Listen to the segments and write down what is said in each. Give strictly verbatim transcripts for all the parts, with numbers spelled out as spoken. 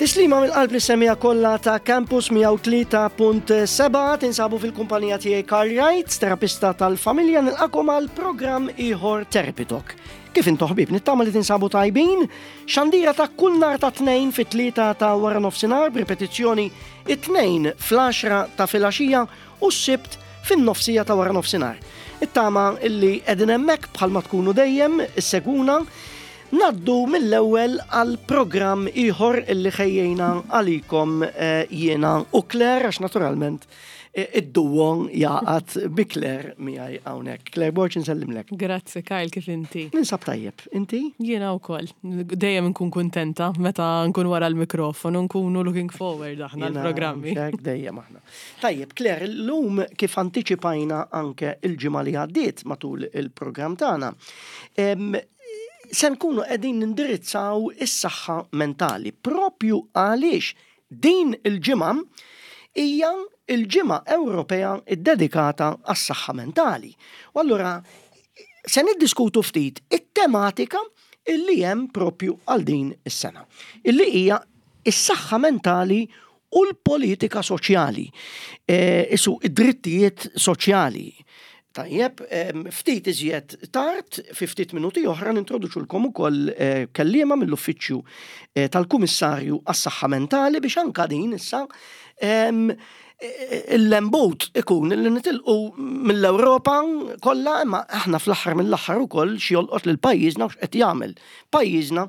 Tislima mill-qalb lis-semmiegħa kollha ta' Campus mija u tlieta punt sebgħa. Tinsabu fil-kumpanija tiegħi Karl Wright, terapista tal-familja. Nilqagħkom għal programm ieħor, Therapy Talk. Kif intom, ħbieb? Nittama li tinsabu tajbin. Xandira ta' kull nhar ta' Tnejn fit-tlieta ta' wara nofsinhar, b'ripetizzjoni it-Tnejn fl-għaxra ta' filgħaxija u s-Sibt fin-nofsija ta' wara nofsinhar. Nittama illi qegħdin hemmhekk bħalma tkunu dejjem issegwuna. Ngħaddu mill-ewwel għal programm ieħor illi ħejjejna għalikom eh, jiena u Claire, għax naturalment eh, id-duo jaqgħad bi Claire miegħi hawnhekk. Claire Borg, nsellimlek. Grazzi, Kyle, kif inti? Ninsab tajjeb, inti? Jiena wkoll. Dejjem nkun kuntenta meta nkun wara l-mikrofonu, nkunu looking forward aħna l-programmi. Hekk dejjem aħna. Tajjeb, Claire, illum, kif antiċipajna anke il-ġimgħa li għaddiet matul il-programm tagħna, em, se nkunu qegħdin nindirizzaw is-saħħa mentali propju għaliex din il-ġimgħa hija il-Ġimgħa Ewropea ddedikata għas-saħħa mentali. U allura se niddiskutu ftit it-tematika illi hemm propju għal din is-sena, illi hija is-saħħa mentali u l-politika soċjali, e, isu id-drittijiet soċjali. Tajjeb, em, ftit iżjed tard, fi ftit minuti oħra, nintroduċulkom ukoll eh, kelliema mill-uffiċċju eh, tal-Kummissarju għas-Saħħa Mentali biex anka din issa em, eh, il-lembut ikun li nitilqu mill-Ewropa kollha, imma aħna fl-aħħar mill-aħħar ukoll xi jolqot lil pajjiżna u x'qed jagħmel pajjiżna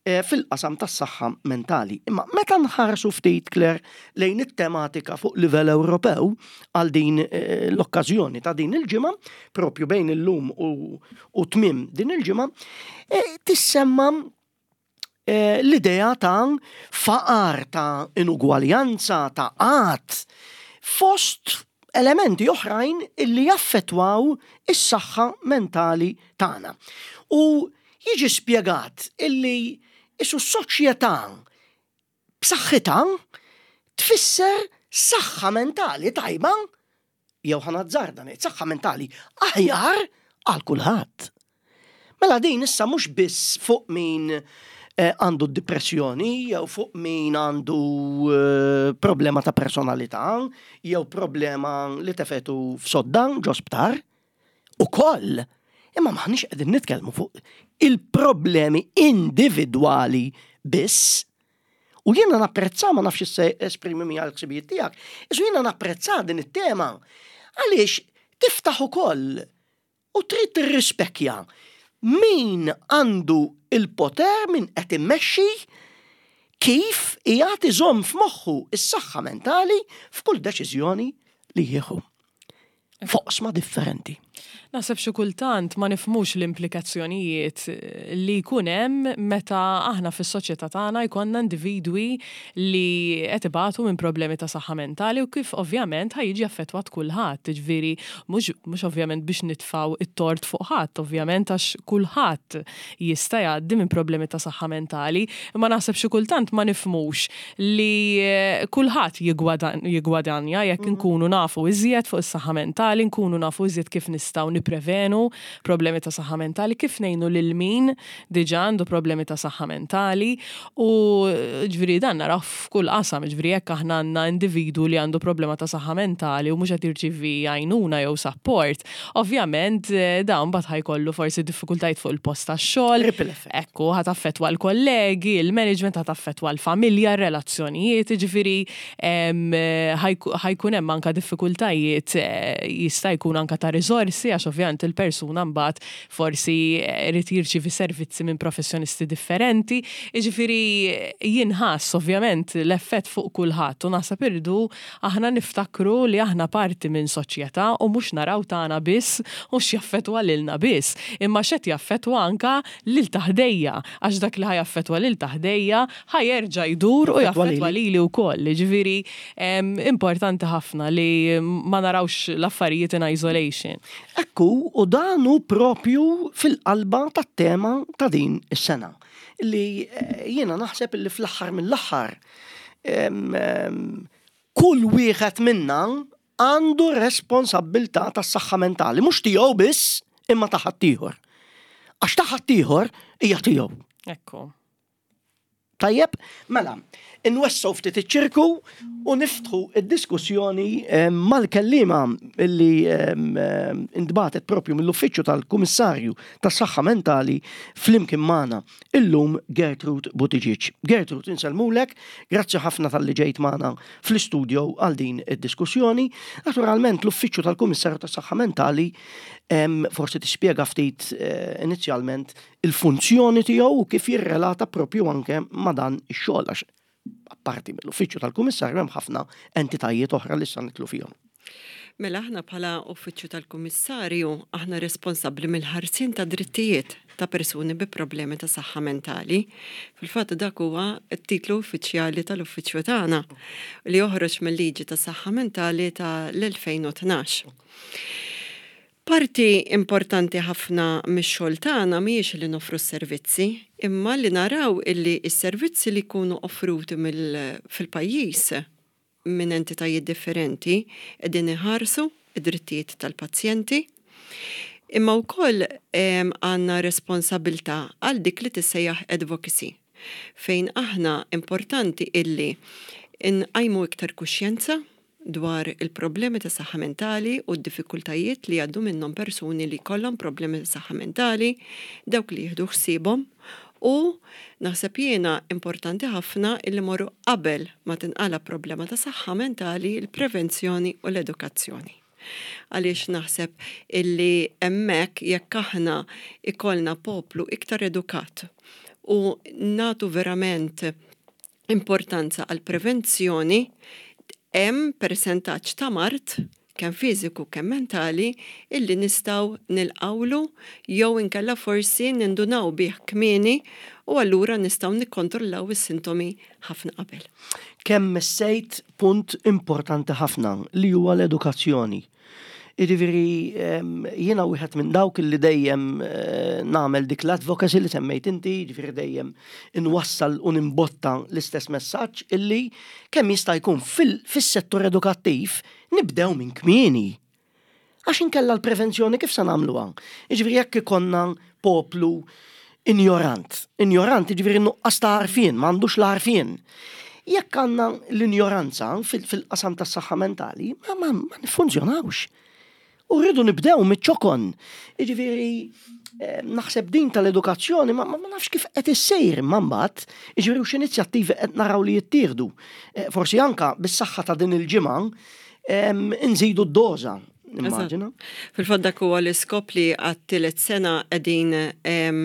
eh, fil-qasam tas-saħħa mentali. Imma meta nħarsu ftit, Claire, lejn it-tematika fuq livell Ewropew għal din eh, l-okkażjoni ta' din il-ġimgħa, propju bejn illum u, u tmim din il-ġimgħa, eh, tissemma eh, l-idea ta' faqar, ta' inugwaljanza, ta' qgħad, fost elementi oħrajn illi jaffetwaw is-saħħa mentali tagħna. U jiġi spjegat illi isu soċjetà b'saħħitha tfisser saħħa mentali tajba, jew ħa nazzarda ngħid saħħa mentali aħjar għal kulħadd. Mela din issa mhux biss fuq min eh, għandu depressjoni, jew fuq min għandu eh, problema ta' personalità, jew problema li tefgħetu f'sodda ġo sptar, ukoll. Imma m'aħniex qegħdin nitkellmu fuq il-problemi individwali biss. U jiena napprezza, ma nafx se esprimi mi għal-ħsibijiet tiegħek, isu jiena napprezza din it-tema għaliex tiftaħ ukoll u trid tirrispekja min għandu il-poter, min qed immexxi, kif qiegħed iżomm f'moħħu is-saħħa mentali f'kull deċiżjoni li jieħu f'oqsma differenti. Naħseb xi kultant ma nifhmux l-implikazzjonijiet li jkun hemm meta aħna fis-soċjetà tagħna jkollna individwi li qed ibatu minn problemi ta' saħħa mentali u kif ovvjament ħa jiġi affettwat kulħadd. Ġifieri mhux mhux ovvjament biex nitfgħu it-tort fuq ħadd, ovvjament, għax kulħadd jista' jgħaddi minn problemi ta' saħħa mentali, imma naħseb xi kultant ma nifhmux li eh, kulħadd jiggwadanja jekk nkunu nafu iżjed fuq is-saħħa mentali, nkunu nafu iżjed kif nistgħu niprevenu problemi ta' saħħa mentali, kif ngħinu lil min diġà għandu problemi ta' saħħa mentali. U ġifieri dan naraw f'kull qasam, ġifieri jekk aħna għandna individu li għandu problema ta' saħħa mentali u mhux qed jirċievi għajnuna jew support, ovvjament eh, dawn mbagħad ħa jkollu forsi diffikultajiet fuq il-post tax-xogħol. Ripple effect. Ekku, ħa taffettwa l-kollegi, il-management, ħa taffettwa l-familja, r-relazzjonijiet, ġifieri em, ħa jkun hemm anka diffikultajiet, eh, jista' jkun anka ta' riżorsi, għax ovvjament il-persuna mbagħad forsi irid jirċievi servizzi minn professjonisti differenti. Jiġifieri jinħass ovvjament l-effett fuq kulħadd u naħseb irridu aħna niftakru li aħna parti minn soċjetà u mhux naraw tagħna biss u x'jaffettwa lilna biss, imma x'qed jaffettwa anka lil ta' ħdejja, għax dak li ħa jaffettwa lil ta' ħdejja ħa jerġa' jdur u Jaffettwa jaffettwa lili. lili wkoll. Ġifieri em, importanti ħafna li ma narawx l-affarijiet in isolation. Ekku, u dan hu propju fil-qalba tat-tema ta' din is-sena. Li eh, jiena naħseb li fl-aħħar mill-aħħar em, em, kull wieħed minna għandu responsabbiltà tas-saħħa mentali, mhux tiegħu biss, imma ta' ħaddieħor. Għax ta' ħaddieħor hija tiegħu. Ekku. Tajjeb, mela, Inwessgħu ftit iċ-ċirku u niftħu id-diskussjoni mal-kellima illi intbagħtet propju mill-Uffiċċju tal-Kummissarju tas-Saħħa Mentali flimkien magħna illum, Gertrude Buttigieg. Gertrude, insellmulek, grazzi ħafna talli ġejt magħna fl-istudio għal din id-diskussjoni. Naturalment, l-Uffiċċju tal-Kummissarju tas-Saħħa Mentali, forsi tispjega ftit eh, inizjalment il-funzjoni tiegħu u kif jirrelata propju anke ma' dan ix-xogħol, għax apparti mill-Uffiċċju tal-Kummissarju hemm ħafna entitajiet oħra li sa nidħlu fihom. Mela aħna bħala Uffiċċju tal-Kummissarju aħna responsabbli mill-ħarsien ta' drittijiet ta' persuni bi problemi ta' saħħa mentali. Fil-fatt dak huwa t-titlu uffiċjali tal-uffiċċju tagħna li joħroġ mill-liġi ta' saħħa mentali tal-elfejn u tnax. Parti importanti ħafna mix-xogħol tagħna mhijiex li noffru s-servizzi, imma li naraw illi s-servizzi li jkunu offruti fil-pajjiż minn entitajiet differenti qegħdin iħarsu id-drittijiet tal-pazjenti. Imma wkoll għandna responsabilità għal dik li tissejjaħ advocacy, fejn aħna importanti illi nqajmu iktar kuxjenza dwar il-problemi ta' saħħa mentali u d-diffikultajiet li għaddu minnhom persuni li kollhom problemi ta' saħħa mentali, dawk li jieħdu ħsiebhom, u naħseb jiena importanti ħafna illi morru qabel ma tinqala problema ta' saħħa mentali, il-prevenzjoni u l-edukazzjoni. Għaliex naħseb illi hemmhekk jekk aħna ikollna poplu iktar edukat u nagħtu verament importanza għal prevenzjoni, hemm persentaġġ ta' mard kemm fiżiku kemm mentali illi nistgħu nilqawlu jew inkella forsi nindunaw bih kmieni u allura nistgħu nikkontrollaw is-sintomi ħafna qabel. Kemm messejt punt importanti ħafna li huwa l-edukazzjoni. Jiġifieri, jiena wieħed minn dawk li dejjem eh, nagħmel dik l-advocacy li semmejt inti, jiġifieri dejjem inwassal u nimbotta l-istess messaġġ illi kemm jista' jkun fis-settur edukattiv nibdew minn kmieni. Għax inkella l-prevenzjoni kif se nagħmluha? Jiġifieri jekk ikollna poplu injorant, injorant jiġifieri nuqqas ta' għarfien, m'għandux l-għarfien. Jekk għandna l-injoranza fil-qasam tas-saħħa mentali, ma, ma, ma nifunzjonawx. U rridu nibdew miċ-ċokon. Jiġifieri, eh, naħseb din tal-edukazzjoni ma, ma nafx kif qed issejr imma mbagħad, jiġifieri u x'inizjattivi qed naraw li jittieħdu. Eh, forsi anka bis-saħħa ta' din il-ġimgħa nżidu d-doża. Immaġina. Fil-fatt dak huwa l-iskop li għat-tielet sena qegħdin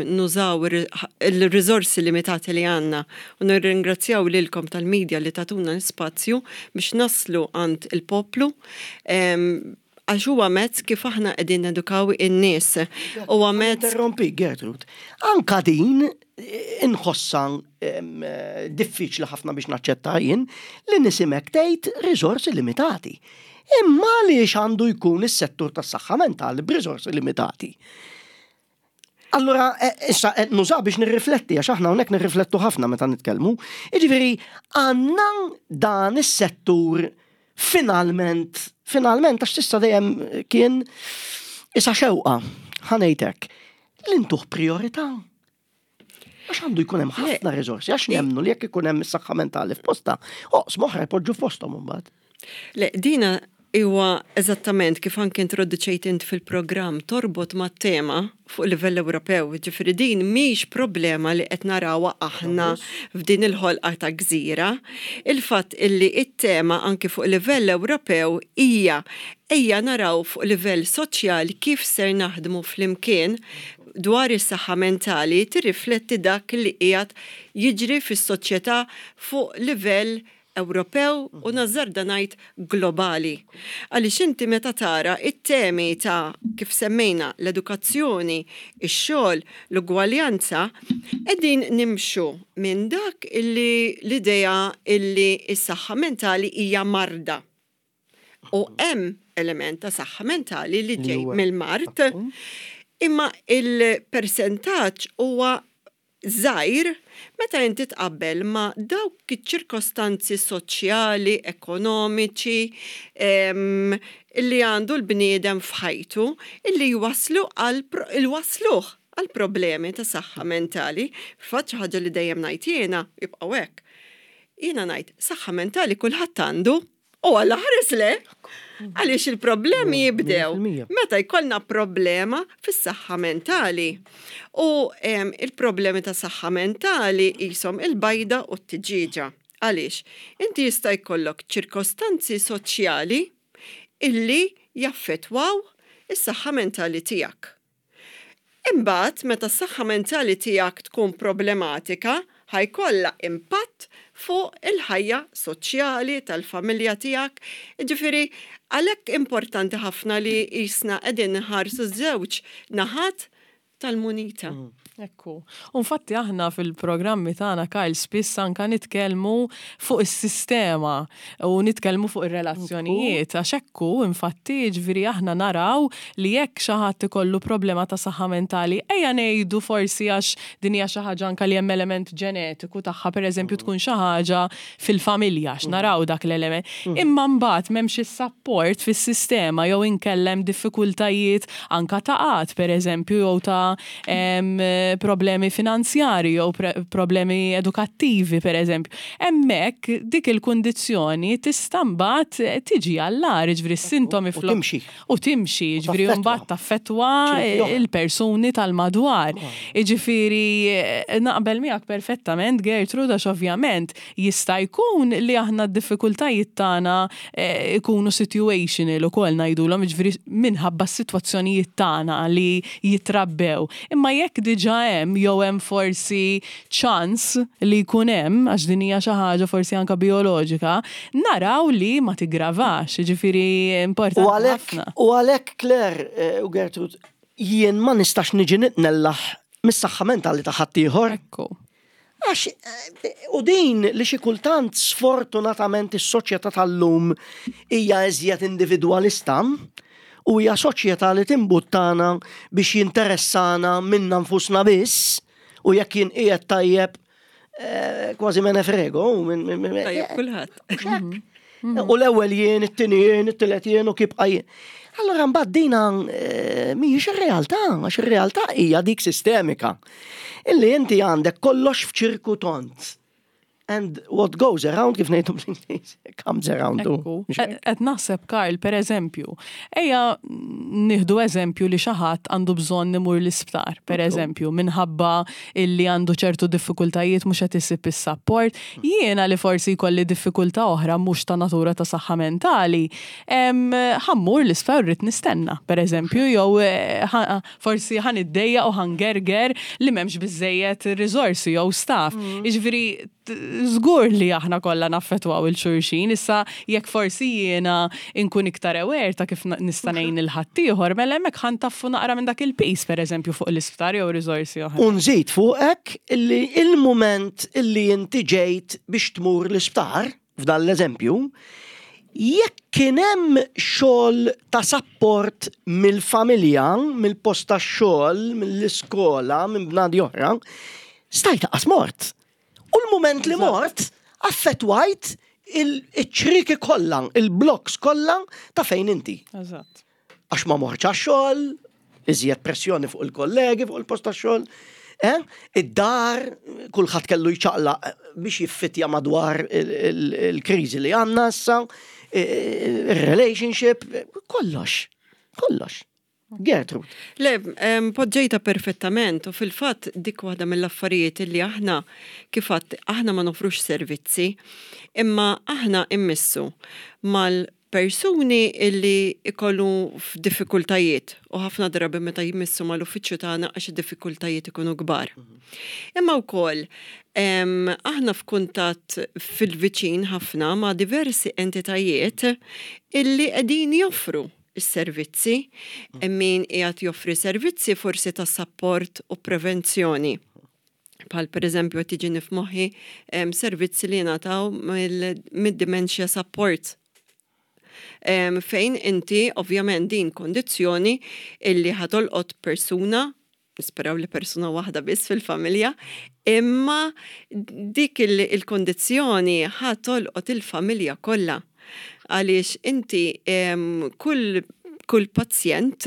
nużaw il-riżorsi limitati li għandna u nirringrazzjaw lilkom tal-medja li tagħtuna l-spazju biex naslu għand il-poplu, għax huwa mezz kif aħna qegħdin nedukaw in-nies. Huwa mezz. Interrompi, Gertrude. Anka din eh, inħossa eh, diffiċli ħafna biex naċċetta jien li nisimek tgħid riżorsi limitati. Imma għaliex għandu jkun is-settur tas-saħħa mentali b'riżorsi limitati? Allora, eh, issa nuża biex nirrifletti, għax aħna hawnhekk nirriflettu ħafna meta nitkellmu. Jiġifieri għandna dan is-settur finalment, finalment, għax s'issa dejjem kien issa xewqa, ħa ngħidlek, li ntuh priorità. Għax għandu jkun hemm ħafna riżorsi, għax nemmnu li jekk ikun hemm is-saħħa mentali f'posta, oqsma oħra jpoġġu f'posthom imbagħad. Le, dina huwa eżattament kif anke introduċejt int fil-programm, torbot ma' tema fuq livell Ewropew, ġifieri din mhix problema li qed narawha aħna f'din il-ħolqa ta' gżira. Il-fatt illi it-tema anke fuq livell Ewropew hija ejja naraw fuq livell soċjali kif ser naħdmu flimkien dwar is-saħħa mentali, tirrifletti dak li qiegħed jiġri fis-soċjetà fuq livell Ewropew u nażżarda ngħid globali. Għaliex inti meta tara it-temi ta' kif semmejna l-edukazzjoni, ix-xogħol, l-ugwaljanza, qegħdin nimxu minn dak illi l-idea illi s-saħħa mentali hija marda. U hemm element ta' saħħa mentali li ġej mill-mard, imma il-persentaġġ huwa żgħir meta inti tqabbel ma' dawk iċ-ċirkostanzi soċjali, ekonomiċi li għandu l-bniedem f'ħajtu illi jwaslu għal il-wasluh għal problemi ta' saħħa mentali. Fatt xi ħaġa li dejjem ngħid jiena jibqgħu hekk. Jiena ngħid, saħħa mentali kulħadd għandu, u għalla ħares le, għaliex il-problemi jibdew meta jkollna problema fis-saħħa mentali. U il-problemi ta' saħħa mentali jisimhom il-bajda u t-tiġieġa. Għaliex, inti jista' jkollok ċirkostanzi soċjali illi jaffetwaw is-saħħa mentali tiegħek. Imbagħad meta s-saħħa mentali tiegħek tkun problematika, ħa jkollha impatt fuq il-ħajja soċjali tal-familja tiegħek. Ġifieri, għalhekk importanti ħafna li jisna qegħdin nħarsu żewġ naħat tal-munita. Mm. Ekku. Infatti aħna fil-programmi tagħna, Kyle, spiss anka nitkellmu fuq is-sistema u nitkellmu fuq ir-relazzjonijiet, għax ekku infatti, ġifieri, aħna naraw li jekk xi ħadd ikollu problema ta' saħħa mentali, ejja ngħidu forsi għax din hija xi ħaġa anka li hemm element ġenetiku tagħha, pereżempju tkun xi ħaġa fil-familja, għax naraw dak l-element. Imma mbagħad m'hemmx is-support fis-sistema jew inkella hemm diffikultajiet anka ta' qgħad, pereżempju, jew ta' problemi finanzjari jew problemi edukattivi, per eżempju. Hemmhekk dik il-kundizzjoni tista' mbagħad tiġi għall-agħar, ġifieri s-sintomi U timxi. U timxi, ġifieri mbagħad taffettwa il-persuni tal-madwar. Ġifieri naqbel miegħek perfettament, Gertrude, għax ovvjament jista' jkun li aħna d-diffikultajiet tagħna eh, ikunu situational ukoll ngħidulhom, ġifieri minħabba s-sitwazzjonijiet tagħna li jitrabbew. Imma jekk diġà hemm jew hemm forsi ċans li jkun hemm, għax din hija xi ħaġa forsi anka bioloġika, naraw li ma tigravax, ġifieri importanti U għalhekk, ħafna. u għalhekk, Claire eh, u Gertrude, jien ma nistax niġi nitnellaħ mis-saħħa mentali ta' ħaddieħor. Ekku. Għax, eh, u din li xi kultant sfortunatament is-soċjetà tal-lum hija iżjed individwalista u hija soċjetà li timbuttana biex jinteressana minna nfusna biss u jekk jien qiegħed tajjeb, eh, kważi me ne frego. min- min- min- Tajjeb kulħadd. U l-ewwel jien, it-tieni jien, it-tielet jien u kibqa jien. Allora mbagħad dina eh, mhijiex ir-realtà, għax ir-realtà hija dik sistemika. Illi inti għandek kollox f'ċirku tont. And what goes around, kif ngħidu bl-Ingliż, comes around too. Ekku. Mhux hekk? Qed naħseb, Karl, per eżempju, ejja nieħdu eżempju li xi ħadd għandu bżonn imur l-isptar, per eżempju, minħabba illi għandu ċertu diffikultajiet, mhux qed isib is-support. Jiena li forsi jkolli diffikultà oħra mhux ta' natura ta' saħħa mentali, em, ħa mmur l-isptar, rrid nistenna, per eżempju, jew eh, ħa- forsi ħa niddejjaq u ħa ngerger li m'hemmx biżejjed riżorsi jew staff. Jiġifieri żgur li aħna kollha naffettwaw lil xulxin, issa jekk forsi jiena inkun iktar aware ta' kif na- nista' ngħin lil ħaddieħor, mela hemmhekk ħa ntaffu naqra minn dak il-piż, pereżempju, fuq l-isptar jew riżorsi oħra. U nżid fuqek illi il-moment illi inti ġejt biex tmur l-isptar, f'dan l-eżempju, jekk kien hemm xogħol ta' support mill-familja, mill-post ta' xogħol, mill-iskola, minn bnadi oħra, stajt qas mort. U l-moment li mort, affettwajt il-ċriki kollha, il-blocks kollha ta' fejn inti. Eżatt. Għax ma mortx għax-xogħol, iżjed pressjoni fuq il-kollegi, fuq il-post tax-xogħol. Eh? Id-dar, kulħadd kellu jċaqlaq biex jiffitja madwar il- il- il-kriżi li għandna issa, il-relationship, kollox, kollox. Gertrude. Le, em, poġġejta perfettament u fil-fatt dik waħda mill-affarijiet li aħna kif għedt, aħna ma nofrux servizzi, imma aħna immissu mal-persuni illi ikollu f'diffikultajiet u ħafna drabi meta jmissu mal-uffiċċju tagħna għax id-diffikultajiet ikunu kbar. Imma wkoll em, aħna f'kuntatt fil-viċin ħafna ma' diversi entitajiet illi qegħdin joffru is-servizzi, min qiegħed joffri servizzi forsi ta' support u prevenzjoni. Bħal per eżempju qed tiġini f'moħħi em, servizzi li jingħataw mill- mid-dementia support. Em, fejn inti ovvjament din kondizzjoni illi ħa tolqot persuna, nisperaw li persuna waħda biss fil-familja, imma dik il- il-kondizzjoni ħa tolqot il-familja kollha. Għaliex inti em, kull, kull pazjent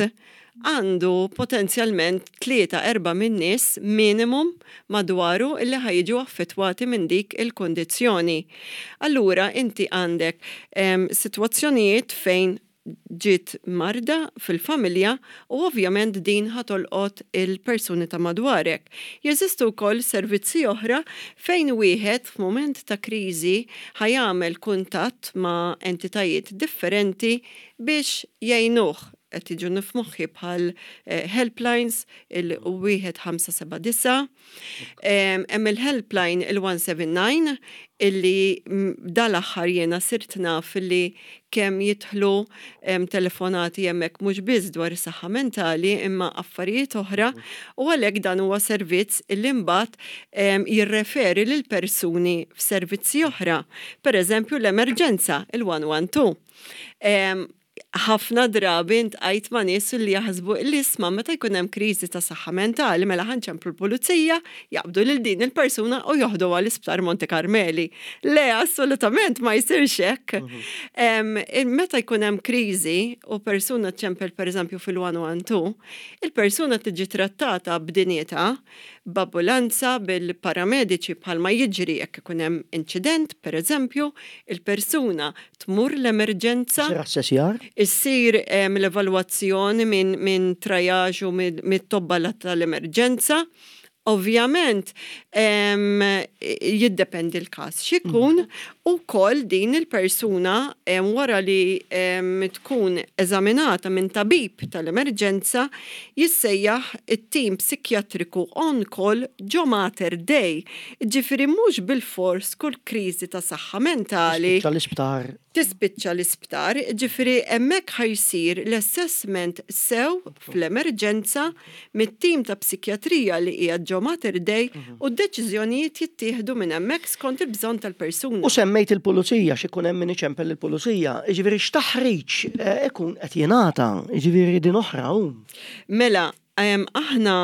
għandu potenzjalment tlieta erba' minn nies minimum madwaru illi ħa jiġu affettwati minn dik il-kondizzjoni. Allura inti għandek em, sitwazzjonijiet fejn ġiet marda fil-familja u ovvjament din ħa tolqot il-persuni ta' madwarek. Jeżistu wkoll servizzi oħra fejn wieħed f'mument ta' kriżi ħa jagħmel kuntatt ma' entitajiet differenti biex jgħinuh. Qed jiġu f'moħħi bħal eh, helplines il-wieħed ħamsa seba' disa', hemm il-helpline il-one seven nine illi dal-aħħar jiena sirt naf illi kemm jidħlu telefonati hemmhekk, mhux biss dwar is-saħħa mentali imma affarijiet oħra, u għalhekk dan huwa servizz illi mbagħad jirreferi lil persuni f'servizzi oħra. Per eżempju l-emerġenza, il-one one two. Ħafna drabi ltqajt ma' nies li jaħsbu li, isma', meta jkun hemm kriżi ta' saħħa mentali, mela ħa nċemplu l-pulizija, jaqbdu lil din il-persuna u joħdu għall-isptar Monte Carmeli. Le, assolutament ma jsirx hekk. Mhm. Meta jkun hemm kriżi u persuna ċempel, pereżempju, fil-one one two, il-persuna tiġi trattata b'dinjità, b'ambulanza, bil-paramediċi, bħalma jiġri jekk ikun hemm inċident, pereżempju, il-persuna tmur l-emerġenza. Issir l-evalwazzjoni minn min triage u mit-tobba tal-emerġenza. Ovvjament, jiddependi l-kas x'ikun mhm. u kull din il-persuna, wara li tkun eżaminata minn tabib tal-emerġenza, jissejjaħ it-tim psikjatriku on call ġo Mater Dei. Ġifieri mhux bil-fors kull kriżi ta' saħħa mentali l-isptar. Tispiċċa l-isptar, ġifieri hemmhekk ħa jsir l-assessment sew fl-emerġenza mit-tim ta' psikjatrija li hija ġo Mater Dei mhm. u d-deċiżjonijiet jittieħdu minn hemmhekk skont il-bżonn tal-persuna. U semmejt il-pulizija, x'ikun hemm min iċempel il-pulizija, ġifieri x'taħriġ eh, ikun qed jingħata, ġifieri din oħra hu. Mela, aħna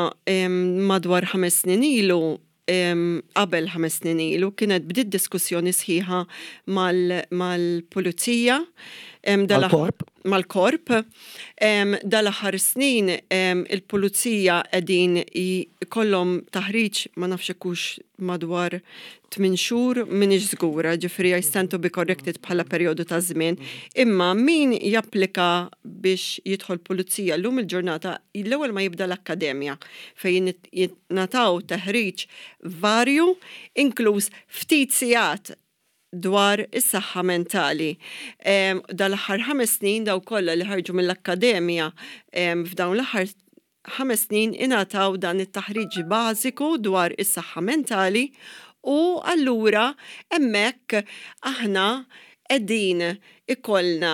madwar ħames snin ilu, qabel ħames snin ilu, kienet bdiet diskussjoni sħiħa mal-pulizija. Mal-korp? Mal-korp. Dal-aħħar snin il-pulizija qegħdin kollhom taħriġ, ma nafx hux madwar tmien xhur, m'iniex żgura, ġifieri I stand to be corrected bħala perjodu ta' żmien. Imma min japplika biex jidħol pulizija llum il-ġurnata, l-ewwel ma jibda l-akkademja fejn jingħataw taħriġ varju, inkluż ftit sigħat dwar is-saħħa mentali. Dal-aħħar ħames snin daw kollha li ħarġu mill-akkademja f'dawn l-aħħar ħames snin ingħataw dan it-taħriġ bażiku dwar is-saħħa mentali u allura hemmhekk aħna qegħdin ikollna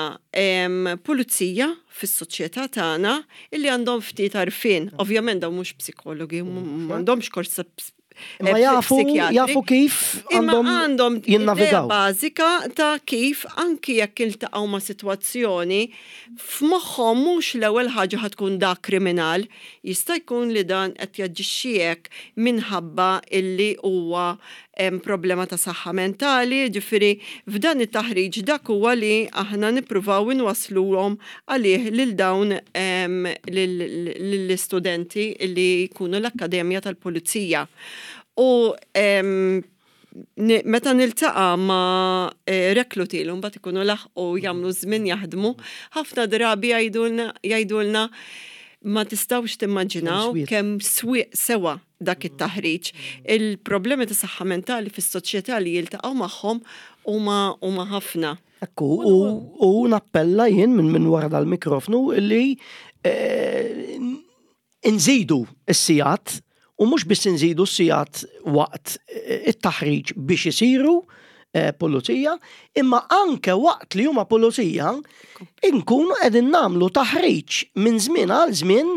pulizija fis-soċjetà tagħna illi għandhom ftit għarfien. Ovvjament dawn mhux psikologi, m'għandhomx kors. Ma jafu, jafu kif għandhom għandhom jinnavigaw. Bażika ta' kif anki jekk iltaqgħu ma' sitwazzjoni, f'moħħhom mhux l-ewwel ħaġa ħa tkun da kriminal, jista' jkun li dan qed jaġixxi hekk minħabba illi huwa hemm problema ta' saħħa mentali, ġifieri f'dan it-taħriġ dak huwa li aħna nippruvaw inwasluhom għalih lil dawn lill-istudenti li jkunu l-Akkademja tal-Pulizija. U meta niltaqa' ma' eh, rekluti li mbagħad ikunu laħqu jagħmlu żmien jaħdmu, ħafna drabi jgħidulna, "Ma tistgħux timmaġinaw kemm sewa dak it-taħriġ." Il-problemi ta' saħħa mentali fis-soċjetà li jiltaqgħu magħhom huma huma ħafna. Ekku, u nappella jien minn minn wara dal-mikrofnu li eh, nżidu s-sigħat, u mhux biss nżidu s-sigħat waqt eh, it-taħriġ biex isiru eh, pulizija, imma anke waqt li huma pulizija inkunu qegħdin nagħmlu taħriġ minn żmien għal żmien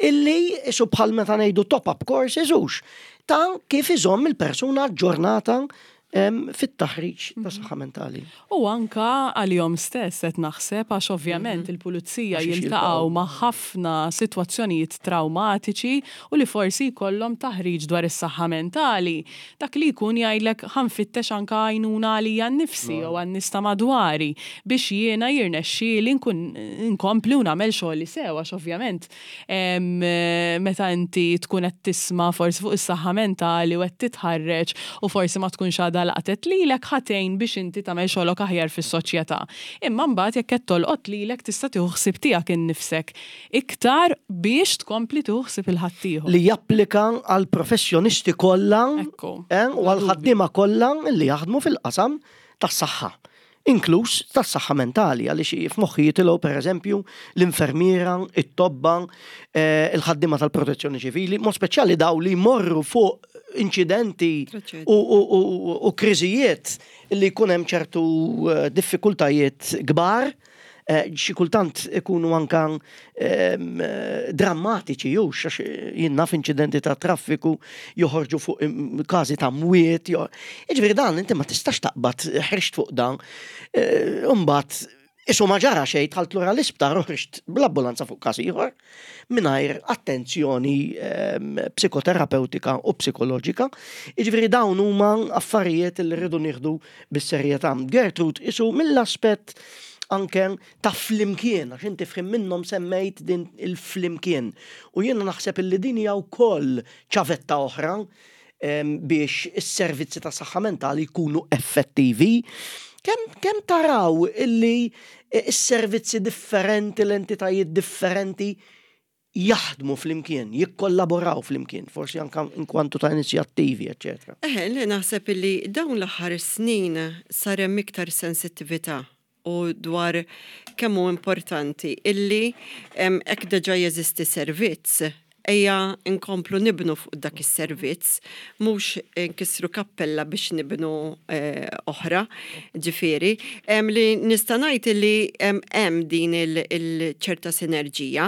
illi isu bħal meta ngħidu top-up courses, hux ta' kif iżomm il-persuna ġurnata. fit-taħriġ ta' saħħa mentali. U anka għalihom stess qed naħseb, għax ovvjament mhm. il-pulizija jiltaqgħu ma' ħafna sitwazzjonijiet traumatiċi u li forsi jkollhom taħriġ dwar is-saħħa mentali. Dak li jkun jgħidlek, "Ħa nfittex anka għajnuna għalija nnifsi jew għan-nies ta' madwari biex jiena jirnexxieli nkun nkompli u nagħmel xogħli sew", għax ovvjament meta inti tkun qed tisma' forsi fuq is-saħħa mentali u qed titħarreġ u forsi ma tkunx għadha laqtet lilek, ħa tgħin biex inti tagħmel xogħlok aħjar fis-soċjetà. Imma mbagħad jekk qed tolqot lilek, tista' tieħu ħsieb tiegħek innifsek iktar biex tkompli tieħu ħsieb il-ħaddieħor. Li japplika għal professjonisti kollha eh, u għal ħaddiema kollha li jaħdmu fil-qasam tas-saħħa, inkluż tas-saħħa mentali, għaliex f'moħħi jitilgħu, pereżempju, l-infermiera, it-tobba, eh, il-ħaddiema tal-protezzjoni ċivili, mod speċjali daw li jmorru fuq inċidenti u kriżijiet li jkun hemm ċertu eh, diffikultajiet kbar, eh, xi kultant ikunu anka ehm, drammatiċi, jew għax jien naf inċidenti ta' traffiku joħorġu fuq każi ta' mwiet. Jiġifieri dan inti ma tistax taqbad ħriġt fuq dan, eh, imbagħad qisu ma ġara xejn, dħalt lura l-isptar u ħriġt bl-ambulanza fuq każ ieħor mingħajr attenzjoni ehm, psikoterapeutika u psikoloġika. Jiġifieri dawn huma affarijiet li rridu nieħdu bis-serjetà. Gertrud, qisu mill-aspett anke ta' flimkien, għax inti f'ħin minnhom semmejt din il-flimkien. U jiena naħseb illi din hija wkoll ċavetta oħra biex is-servizzi ta' saħħa mentali jkunu effettivi. Kemm kem taraw illi is-servizzi differenti, l-entitajiet differenti jaħdmu flimkien, jikkollaboraw flimkien, forsi anka inkwantu ta' inizjattivi, eccetera? Eħe, li naħseb illi dawn l-aħħar snin sar hemm iktar sensittività u dwar kemm hu importanti illi hekk diġà jeżisti servizz, ejja nkomplu nibnu fuq dak is-servizz, mhux nkissru kappella biex nibnu eh, oħra, ġifieri. Li nista' ngħid li hemm din il-ċerta sinerġija.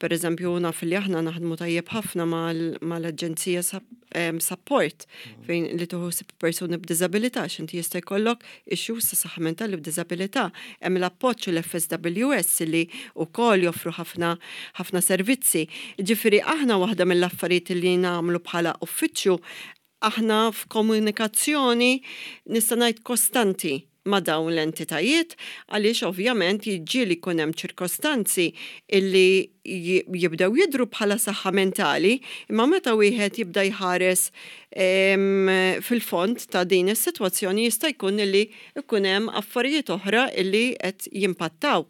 Per eżempju, naf li aħna naħdmu tajjeb ħafna mal-Aġenzija Sapport fejn li tieħu persuni b'diżabilità, x'inti jista' jkollok issues ta' saħħa mentali b'diżabilità. Hemm l-appoġġ, l-F S W S li wkoll joffru ħafna ħafna servizzi. Ġifieri aħna waħda mill-affarijiet li nagħmlu bħala uffiċċju, aħna f'komunikazzjoni, nista' ngħid, kostanti ma' dawn l-entitajiet, għaliex ovvjament jiġi li jkun hemm ċirkostanzi illi jibdew jidru bħala saħħa mentali, imma meta wieħed jibda jħares fil-fond ta' din is-sitwazzjoni, jista' jkun illi jkun hemm affarijiet oħra illi qed jimpattaw.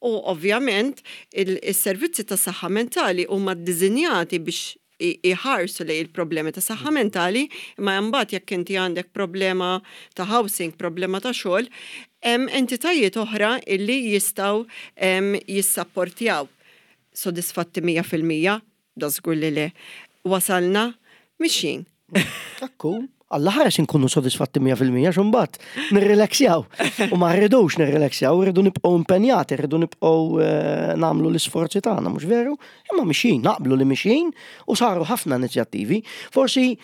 U ovvjament il-servizzi ta' saħħa mentali huma ddisinjati biex iħarsu lejn il-problemi ta' saħħa mentali, imma mbagħad jekk inti għandek problema ta' housing, problema ta' xogħol, hemm entitajiet oħra illi jistgħu jissapportjaw. Sodisfatti mija fil-mija? Da żgur li le. Wasalna, mixjin. Ekku, Alla ħares inkunu sodisfatti mija fil-mija, xumbat, nirrilaxjaw. U ma rridux nirrilaxjaw, rridu nibqgħu impenjati, rridu nibqgħu eh, nagħmlu l-isforzi tagħna, mhux veru? Imma mixjin, naqblu li mixjin u saru ħafna inizjattivi. Forsi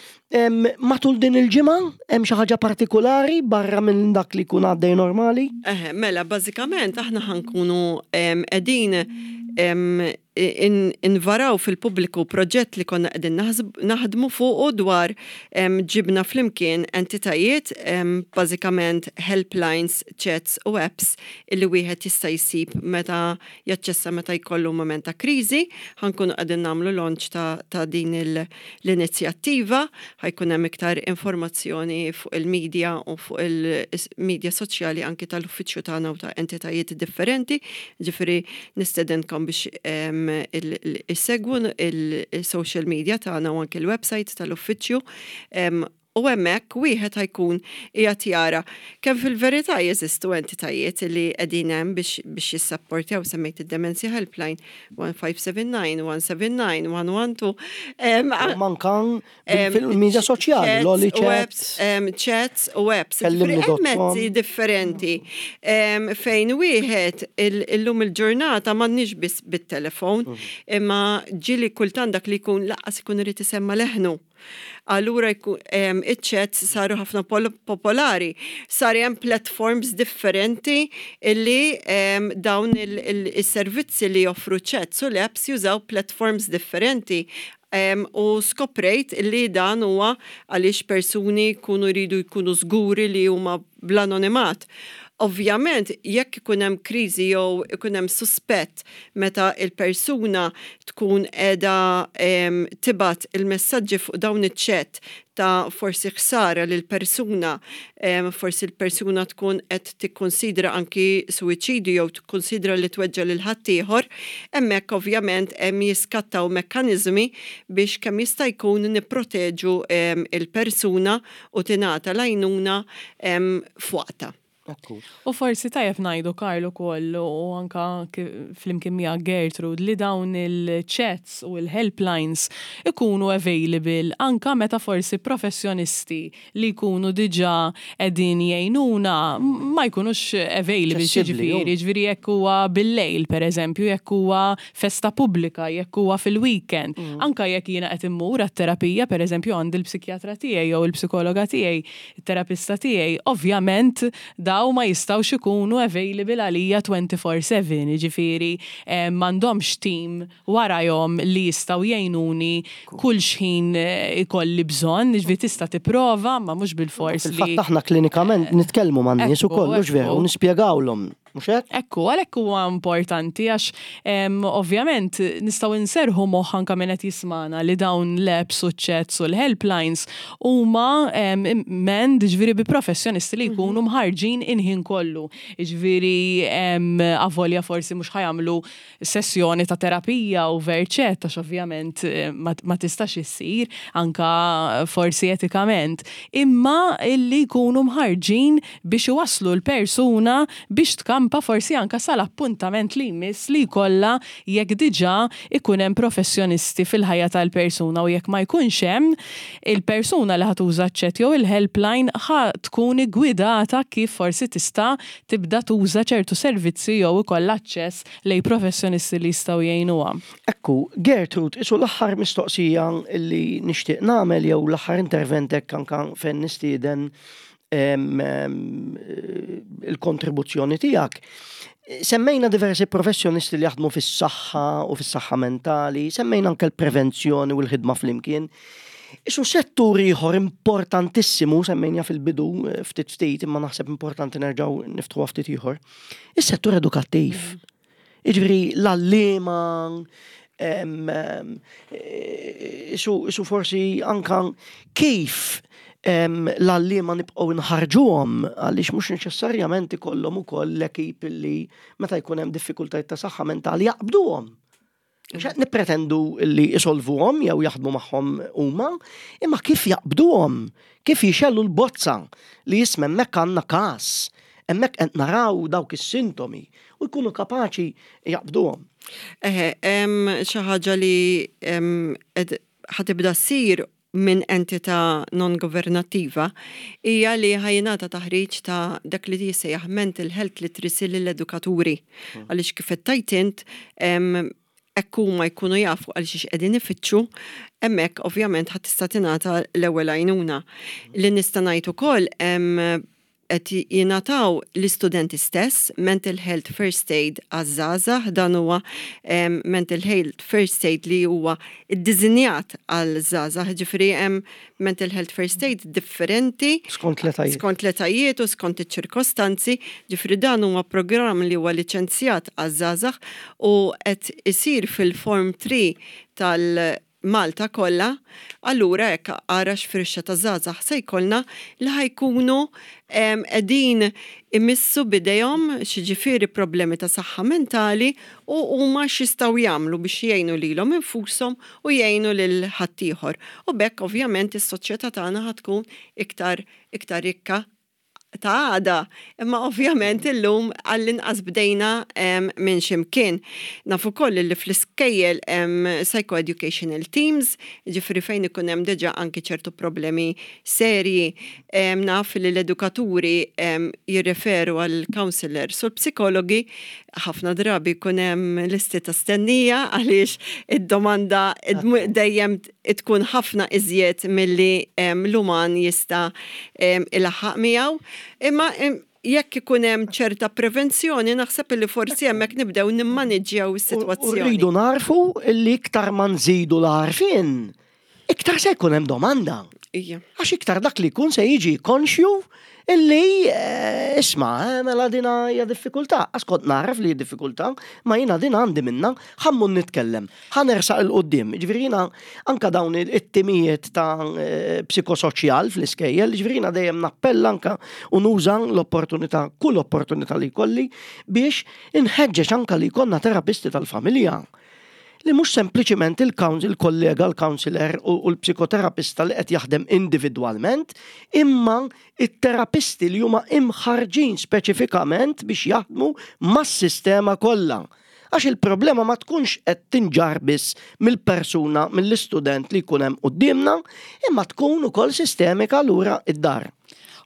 matul din il-ġimgħa hemm xi ħaġa partikolari barra minn dak li jkun għaddej normali? Eħe, mela, bażikament aħna ħa nkunu qegħdin invaraw fil-pubbliku proġett li konna qegħdin naħdmu fuqu dwar ġibna flimkien entitajiet, bażikament helplines, chats u apps illi wieħed jista' jsib meta jaċċessa meta jkollu moment ta' kriżi. Ħa nkunu qegħdin nagħmlu launch ta', ta din l-inizjattiva, ħa jkun hemm iktar informazzjoni fuq il-media u fuq il-media soċjali anki tal-uffiċċju tagħna u ta' entitajiet differenti. Ġifieri nistedinkom biex issegwu il-social media tagħna u anke l-website tal-uffiċċju. U hemmhekk wieħed ħa jkun qiegħed jara kemm fil-verità jeżistu entitajiet li qegħdin hemm biex biex jissapportjaw. Semmejt id-Dementia Helpline one five seven nine, one seven nine, one one two. Anka fil-media soċjali, l-Oli chats. Chats u apps. Hemm mezzi differenti fejn wieħed illum il-ġurnata m'għandniex biss bit-telefon, mhm. imma ġieli kultant dak li jkun lanqas ikun irid isemma leħnu. Allura iċ-chats saru ħafna popolari. Sar hemm platforms differenti illi dawn il-servizzi li joffru chats u l-apps jużaw platforms differenti. U skoprejt illi dan huwa għaliex persuni jkunu jridu jkunu żguri li huma bl-anonimat. Ovvjament, jekk ikun hemm kriżi jew ikun hemm suspett meta il-persuna tkun qiegħda tibgħat il-messaġġi fuq dawn iċ-chat ta' forsi ħsara lil persuna, forsi l-persuna tkun qed tikkonsidra anki suwiċidju jew tikkonsidra li tweġġa' lil ħaddieħor, hemmhekk ovvjament hemm jiskattaw mekkaniżmi biex kemm jista' jkun nipproteġu il-persuna u tingħata l-għajnuna f'waqtha. U forsi tajjeb ngħidu, Karl, ukoll u anka flimkien miegħek, Gertrude, li dawn il-chats u il-helplines ikunu available anka meta forsi professjonisti li jkunu diġà qegħdin jgħinuna ma jkunux available, ġifieri, ġifieri jekk huwa bil-lejl, per eżempju, jekk huwa festa pubblika, jekk huwa fil-weekend, mm. anka jekk jiena qed immur għat-terapija, per eżempju, għandi l-psikjatra tiegħi jew il-psikologa tiegħi, il-terapista tiegħi, ovvjament daw ma jistgħux ikunu available għalija twenty-four seven, ġifieri m'għandhomx team warajhom li jistgħu jgħinuni kull xħin eh, ikolli bżonn, ġifieri tista' tipprova, ma mhux bil-fors li. Fil-fatt aħna klinikament nitkellmu man-nies ukoll, veru, u nispjegawlhom. Mhux hekk? Ekku, għalhekk huwa importanti għax ovvjament nistgħu nserħu moħħ anke min qed jismana li dawn l-apps u chats u l-helplines huma manned, ġifieri bi professjonisti li jkunu mhm. mħarġin il-ħin kollu. Ġifieri avolja forsi mhux ħa jagħmlu sessjoni ta' terapija u over chat, għax ovvjament eh, ma tistax issir anka forsi etikament, imma illi jkunu mħarġin biex iwaslu l-persuna biex tkampa forsi anka sal-appuntament li jmiss li jkollha jekk diġà ikun hemm professjonisti fil-ħajja tal-persuna, u jekk ma jkunx hemm, il-persuna li ħa tuża chat jew il-helpline ħa tkun gwidata kif forsi tista' tibda tuża ċertu servizzi jew ikollha aċċess lejn professjonisti li jistgħu jgħinuha. Ekku, Gertrude, isu l-aħħar mistoqsija li nixtieq nagħmel jew l-aħħar intervent hekk anka fejn nistieden il-kontribuzzjoni tiegħek. Semmejna diversi professjonisti li jaħdmu fis-saħħa u fis-saħħa mentali, semmejna anke l-prevenzjoni u l-ħidma flimkien. Isu settur ieħor importantissimu, semmejna fil-bidu eh, ftit ftit, imma naħseb importanti nerġgħu niftħu ftit ieħor. Is-settur edukattiv. Jiġifieri l-għalliema, isu forsi anka kif l-għalliema nibqgħu nħarġuhom, għaliex mhux neċessarjament ikollhom ukoll l-ekip li meta jkun hemm diffikultajiet ta' saħħa mentali jaqbduhom. Mhux qed nippretendu li isolvuhom jew jaħdmu magħhom huma, imma kif jaqbduhom, kif jixgħelu l-bozza li jisma', hemmhekk għandna każ, hemmhekk qed naraw dawk is-sintomi u jkunu kapaċi jaqbduhom. Eħe, xi ħaġa li ħa tibda ssir minn entità non-governattiva hija li ħa jingħata taħriġ ta' dak li jissejjaħ mental health literacy lill-edukaturi. Mm. Għaliex kif qed int, hekk huma jkunu jafu għal xiex qegħdin ifittxu, hemmhekk ovvjament ħadd tista' tingħata l-ewwel għajnuna. Li nista' ngħid ukoll, qed jingħataw l-istudenti stess Mental Health First Aid għaż-żgħażagħ. Dan huwa Mental Health First Aid li huwa iddiżinjat għal żgħażagħ, ġifieri hemm Mental Health First Aid differenti skont l-etajiet. Skont l-etajiet u skont iċ-ċirkostanzi, ġifieri dan huwa programm li huwa liċenzjat għaż-żgħażagħ u qed isir fil-Form three tal- Malta kollha, allura hekk ara x'firxa ta' żgħażagħ se jkollna li ħa jkunu qegħdin imissu bidejhom xiġifieri problemi ta' saħħa mentali u huma x'jistgħu jagħmlu biex jgħinu lilhom infushom u jgħinu lil ħaddieħor. U b'hekk ovvjament is-soċjetà tagħna ħa tkun iktar iktar rikka. ta' għada, imma ovvjament illum għall-inqas bdejna minn ximkien. Nafu koll li fl-iskejjel hemm psychoeducational teams, ġifieri fejn ikun hemm diġà anki ċertu problemi serji, naf li l-edukaturi jirreferu għal counselors u l-psikologi, ħafna drabi jkun hemm listi ta' stennija għaliex id-domanda dejjem tkun ħafna iżjed milli l-uman jista' ilaħħaq miegħu. Imma jekk ikun hemm ċerta prevenzjoni, naħseb li forsi hemmhekk nibdew nimmaniġġjaw is-sitwazzjoni. Rridu narfu li iktar ma nżidu l-għarfien, iktar se jkun hemm domanda. Għax iktar dak li jkun se jiġi konxju illi isma' mela dina hija diffikultà. Għax kont naraf li hija diffikultà, ma jiena din għandi minna, ħammur nitkellem, ħa nersaq 'il quddiem. Ġifieri jiena anka dawn it-timijiet ta' psikosoċjal fl-iskejjel, ġifieri jiena dejjem nappella anka u nuża l-opportunità, kull opportunità li jkolli biex inħeġġeġ anka li jkollna terapisti tal-familja. Li mhux sempliċiment il-kollega, il-counselor u l-psikoterapista li qed jaħdem individwalment, imma it-terapisti li huma imħarġin speċifikament biex jaħdmu mas-sistema kollha. Għax il-problema ma tkunx qed tinġar biss mill-persuna, mill-istudent li jkun hemm quddiemna, imma tkun ukoll sistemika lura id-dar.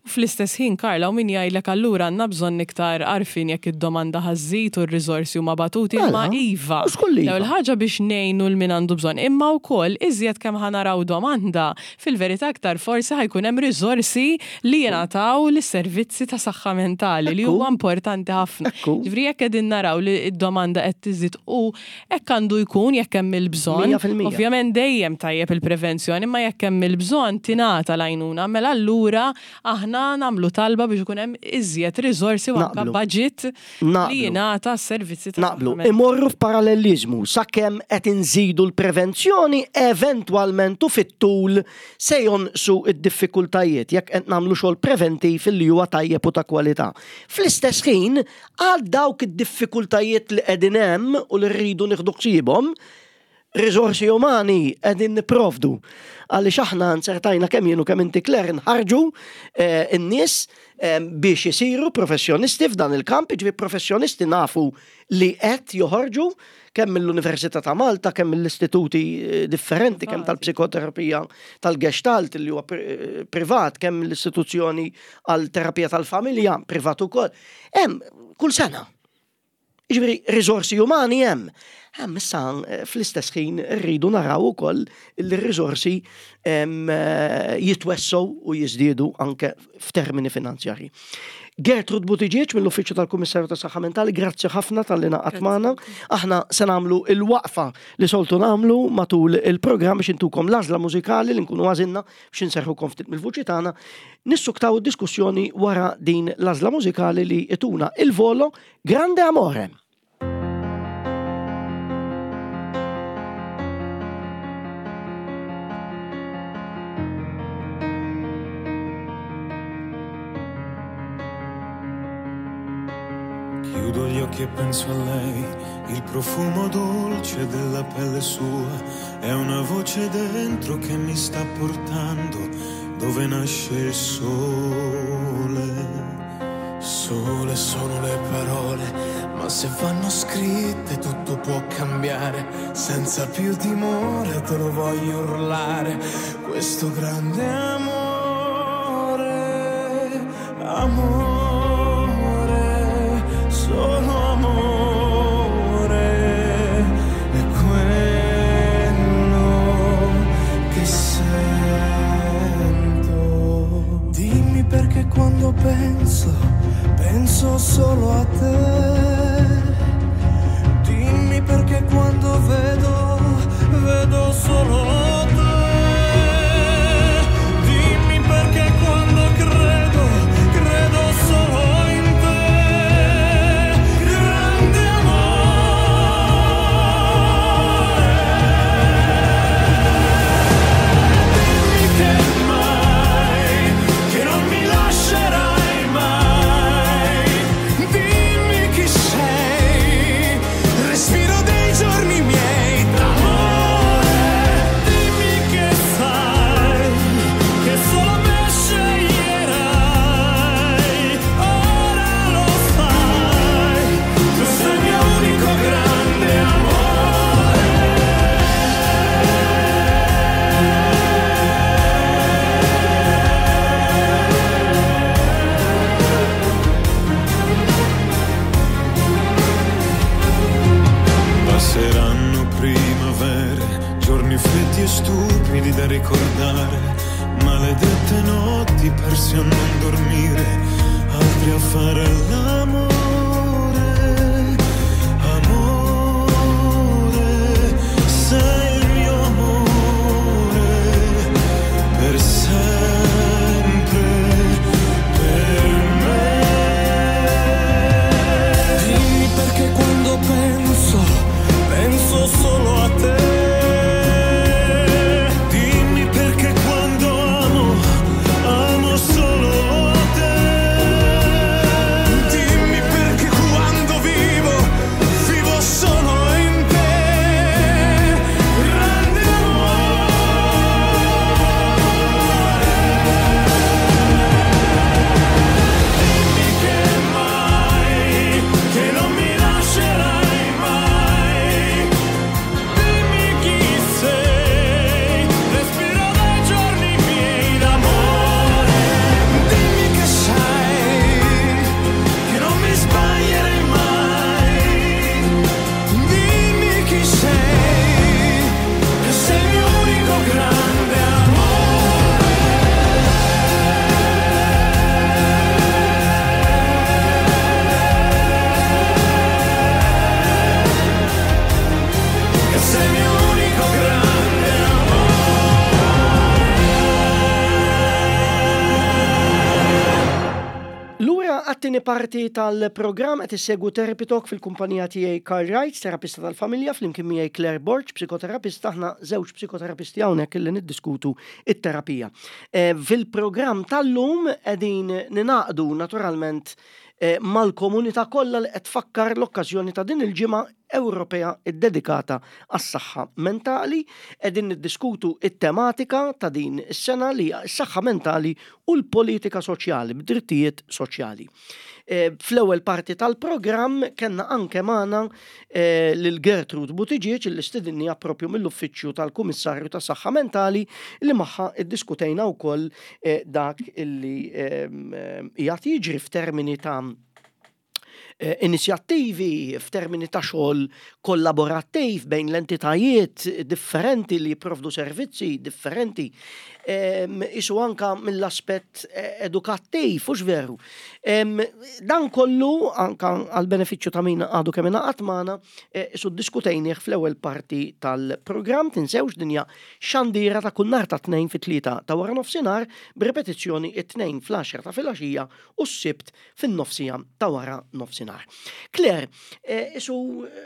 U fl-istess ħin, Karla, u min jgħidlek allura għandna bżonn iktar għarfien jekk id-domanda ħa żżid u r-riżorsi huma batuti, imma iva. L-ewwel ħaġa biex ngħinu l min għandu bżonn, imma wkoll iżjed kemm ħa naraw domanda, fil-verità aktar forsi ħa jkun hemm riżorsi li jingħataw lis-servizzi ta' saħħa mentali li huwa importanti ħafna. Ġifieri jekk qegħdin naraw li d-domanda qed tiżid u hekk għandu jkun jekk hemm il-bżonn. Ovvjament dejjem tajjeb il-prevenzjoni, imma jekk hemm il-bżonn tingħata l-għajnuna, mela allura aħna nagħmlu talba biex ikun hemm iżjed riżorsi u anke budget li jingħata s-servizzi ta' Naqblu. Imorru f'paralleliżmu sakemm qed inżidu l-prevenzjoni eventwalment u fit-tul se jonqsu id-diffikultajiet jekk qed nagħmlu xogħol preventiv li huwa tajjeb u ta' kwalità. Fl-istess ħin għal dawk id-diffikultajiet li qegħdin hemm u li rridu nieħdu ħsiebhom, riżorsi umani qegħdin nipprovdu. Għaliex aħna nsertajna kemm jien u kemm inti Claire nħarġu n-nies biex isiru professjonisti f'dan il-kamp, jiġifieri professjonisti nafu li qed joħorġu kemm mill-Università ta' Malta, kemm mill-istituti differenti, kemm tal-psikoterapija tal-Gestalt li huwa privat, kemm mill-istituzzjoni għal terapija tal-familja privat ukoll. Hemm kull sena. Jiġifieri riżorsi umani hemm. Hemm issa fl-istess ħin rridu naraw ukoll li r-riżorsi jitwessgħu u jiżdiedu anke f'termini finanzjarji. Gertrude Buttigieg mill-Uffiċċju tal-Kummissarju tas-Saħħa Mentali, grazzi ħafna talli ngħaqadt magħna. Aħna se nagħmlu il-waqfa li soltu nagħmlu matul il-programm biex intukom l-għażla mużikali li nkunu għażilna biex inserħukom ftit mill-vuċi tagħna. Nissuktaw id-diskussjoni wara din l-għażla mużikali li ituna il-volo Grande Amore. Chiudo gli occhi e penso a lei, il profumo dolce della pelle sua, è una voce dentro che mi sta portando dove nasce il sole. Sole sono le parole, ma se vanno scritte tutto può cambiare, senza più timore te lo voglio urlare, questo grande amore, amore. Solo amore è quello che sento. Dimmi perché quando penso, penso solo a te. Dimmi perché quando vedo, vedo solo te. Dimmi perché quando credo, credo solo in te. Che non mi lascerai mai, dimmi e stupidi da ricordare, maledette notti perse a non dormire, altri a fare l'amore. Amore, sei il mio amore, per sempre, per me. Dimmi perché quando penso, penso solo a te. Dimmi perché quando amo, amo solo te. Dimmi perché quando vivo, vivo solo in te. Grande amore. Dimmi che mai, che non mi lascerai mai. Dimmi chi sei, respiro dai giorni miei d'amore. Dimmi che sai che non mi sbaglierei mai. Dimmi chi sei, che sei il mio unico grande amore. Che sei il mio unico grande amore. Lura għat-tieni parti tal-programm qed issegwu Therapy Talk fil-kumpanija tiegħi Carl Wright, terapista tal-familja, flimkien miegħi Claire Borg, psikoterapista, aħna żewġ psikoterapisti hawnhekk illi niddiskutu it-terapija. Eh, Fil-programm tal-lum qegħdin ningħaqdu naturalment eh, mal-komunità kollha li qed tfakkar l-okkażjoni ta' din il-ġimgħa Ewropea ddedikata għas-saħħa mentali, qegħdin niddiskutu it-tematika ta' din is-sena li hija s-saħħa mentali u l-politika soċjali, b'drittijiet soċjali. Eh, Fl-ewwel parti tal-programm kellna anke magħna eh, lil Gertrude Buttigieg li stidinniha propju mill-Uffiċċju tal-Kummissarju tas-Saħħa Mentali li magħha iddiskutejna wkoll eh, dak illi ehm, ehm, qiegħed jiġri f'termini ta' eh, inizjattivi f'termini ta' xogħol kollaborattiv bejn l-entitajiet differenti li jipprovdu servizzi differenti. Em, Isu anka mill-aspett eh, edukattiv, hux veru. Em, Dan kollu anka għal benefiċċju ta' min għadu kemm ingħaqad magħna, eh, isu ddiskutejnieh fl-ewwel parti tal-programm, tinsewx din hija xandira ta' kull nhar ta' tnejn fit-tlieta ta' wara nofsinhar b'ripetizzjoni it-tnejn fl-għaxra ta' filgħaxija u s-sibt fin-nofsija ta' wara nofsinhar. Claire, eh, isu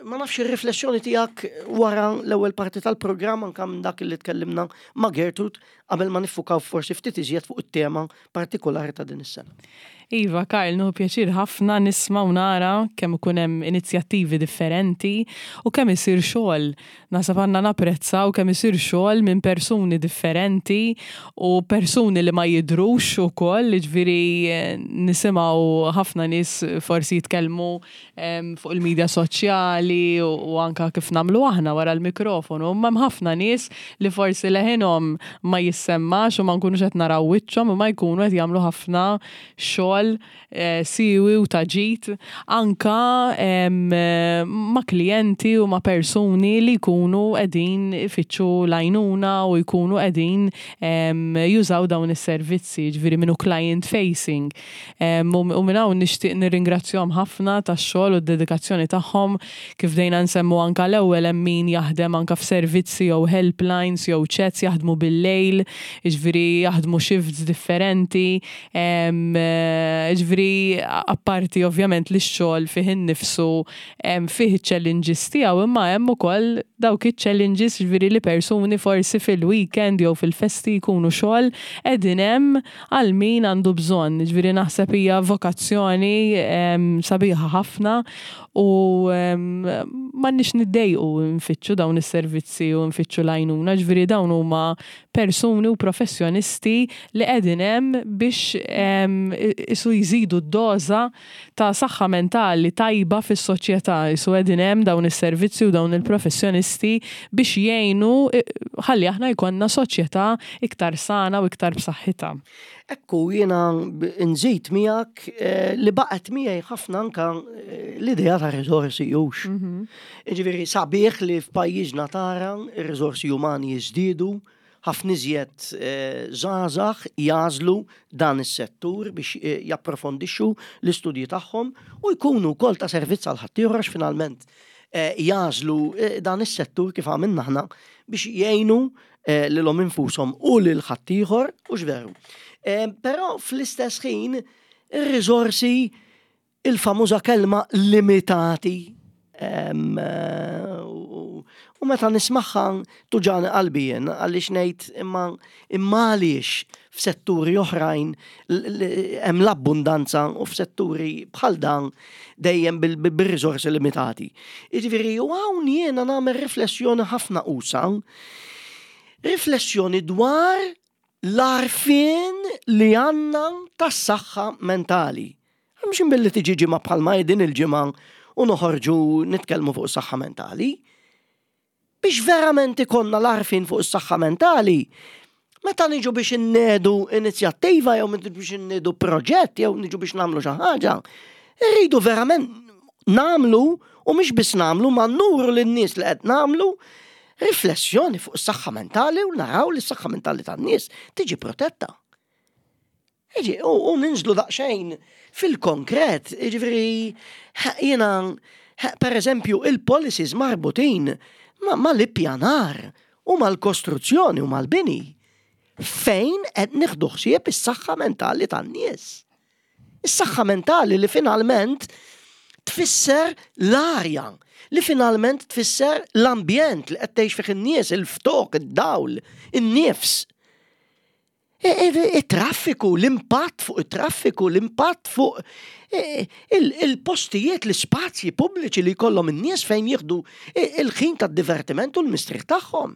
ma nafx ir-riflessjoni tiegħek wara l-ewwel parti tal-programm anka minn dak li tkellimna ma' Gertrude qabel ma niffukaw forsi ftit iżjed fuq it-tema partikolari ta' din is-sena. Iva, Karl, nieħu pjaċir ħafna nisma' u nara kemm ikun hemm inizjattivi differenti u kemm isir xogħol. Naħseb għandna napprezzaw kemm isir xogħol minn persuni differenti u persuni li ma jidhrux ukoll, jiġifieri eh, nisimgħu ħafna nies forsi jitkellmu em, fuq il-medja soċjali u, u anka kif nagħmlu aħna wara l-mikrofonu. Imma hemm ħafna nies li forsi leħinhom ma jissemmax u ma nkunux qed naraw wiċċhom u ma jkunu qed jagħmlu ħafna xogħol eh, siwi u ta' ġid anka em, eh, ma' klijenti u ma' persuni li jkunu qegħdin ifittxu l-għajnuna u jkunu qegħdin em, jużaw dawn is-servizzi, ġifieri minnu client facing. Em, U u minn hawn nixtieq nirringrazzjahom ħafna tax-xogħol u d-dedikazzjoni tagħhom kif bdejna nsemmu anka l-ewwel hemm min jaħdem anka f'servizzi jew helplines jew chats jaħdmu bil-lejl, jiġifieri jaħdmu shifts differenti, em, eh, jiġifieri apparti ovvjament li x-xogħol fih innifsu em, fih challenges tiegħu imma hemm ukoll dawk iċ-challenges ġifieri li persuni forsi fil-weekend jew fil-festi jkunu xogħol qegħdin hemm għal min għandu bżonn. Ġifieri naħseb hija vokazzjoni em, sabiħa ħafna u em, m'għandniex niddejqu nfittxu dawn is-servizzi u nfittxu l-għajnuna, ġifieri dawn huma persuni persuni u professjonisti li qegħdin hemm biex isu jżidu d-doża ta' saħħa mentali tajba fis-soċjetà. Isu qegħdin hemm dawn is-servizzi u dawn il-professjonisti biex jgħinu ħalli aħna jkollna soċjetà iktar sana u iktar b'saħħitha. Ekku, jiena nżid miegħek eh, li baqgħet miegħi ħafna anka eh, l-idea ta' riżorsi jux. Mhm. Ġifieri sabiħ li f'pajjiżna tara ir-riżorsi umani jiżdiedu, ħafna iżjed eh, żgħażagħ jagħżlu dan is-settur biex japprofondixxu l-istudji tagħhom u jkunu wkoll ta' servizz għal ħaddieħor finalment jagħżlu dan is-settur kif għamilna aħna biex jgħinu lilhom infushom u lil ħaddieħor u x'veru. Però fl-istess ħin ir-riżorsi, il-famuża kelma limitati, u meta nismagħha tuġgħani qalbi jien għaliex ngħid imma imma għaliex f'setturi oħrajn hemm l-abbundanza u f'setturi bħal dan dejjem bir-riżorsi limitati? Jiġifieri u hawn jiena nagħmel riflessjoni ħafna usa', riflessjoni dwar l-għarfien li għandna tas-saħħa mentali. Mhux billi tiġi ġimgħa bħalma din il-ġimgħa u noħorġu nitkellmu fuq is-saħħa mentali. Biex verament ikollna l-għarfien fuq is-saħħa mentali, meta niġu biex innedu inizjattiva jew biex innedu proġett jew niġu biex nagħmlu xi ħaġa, irridu verament nagħmlu u mhux biss nagħmlu ma nuru lin-nies li qed nagħmlu riflessjoni fuq is-saħħa mentali u naraw li s-saħħa mentali tan-nies tiġi protetta. Iġi, u, u ninżlu daqsxejn fil-konkret, jiġifieri jiena, per eżempju, il-policies marbutin ma, ma l-ippjanar u mal-kostruzzjoni u mal-bini. Fejn qed nieħdu ħsieb is-saħħa mentali tan-nies? Is-saħħa mentali li finalment tfisser l-arja, li finalment tfisser l-ambjent li qed tgħix fih in-nies, il-ftok, id-dawl, in-nifs. Il-traffiku, l-impatt fuq it-traffiku, l-impatt fuq il-postijiet, l-ispazji pubbliċi li jkollhom in-nies fejn jieħdu il-ħin tad-divertiment u l-mistrieħ tagħhom.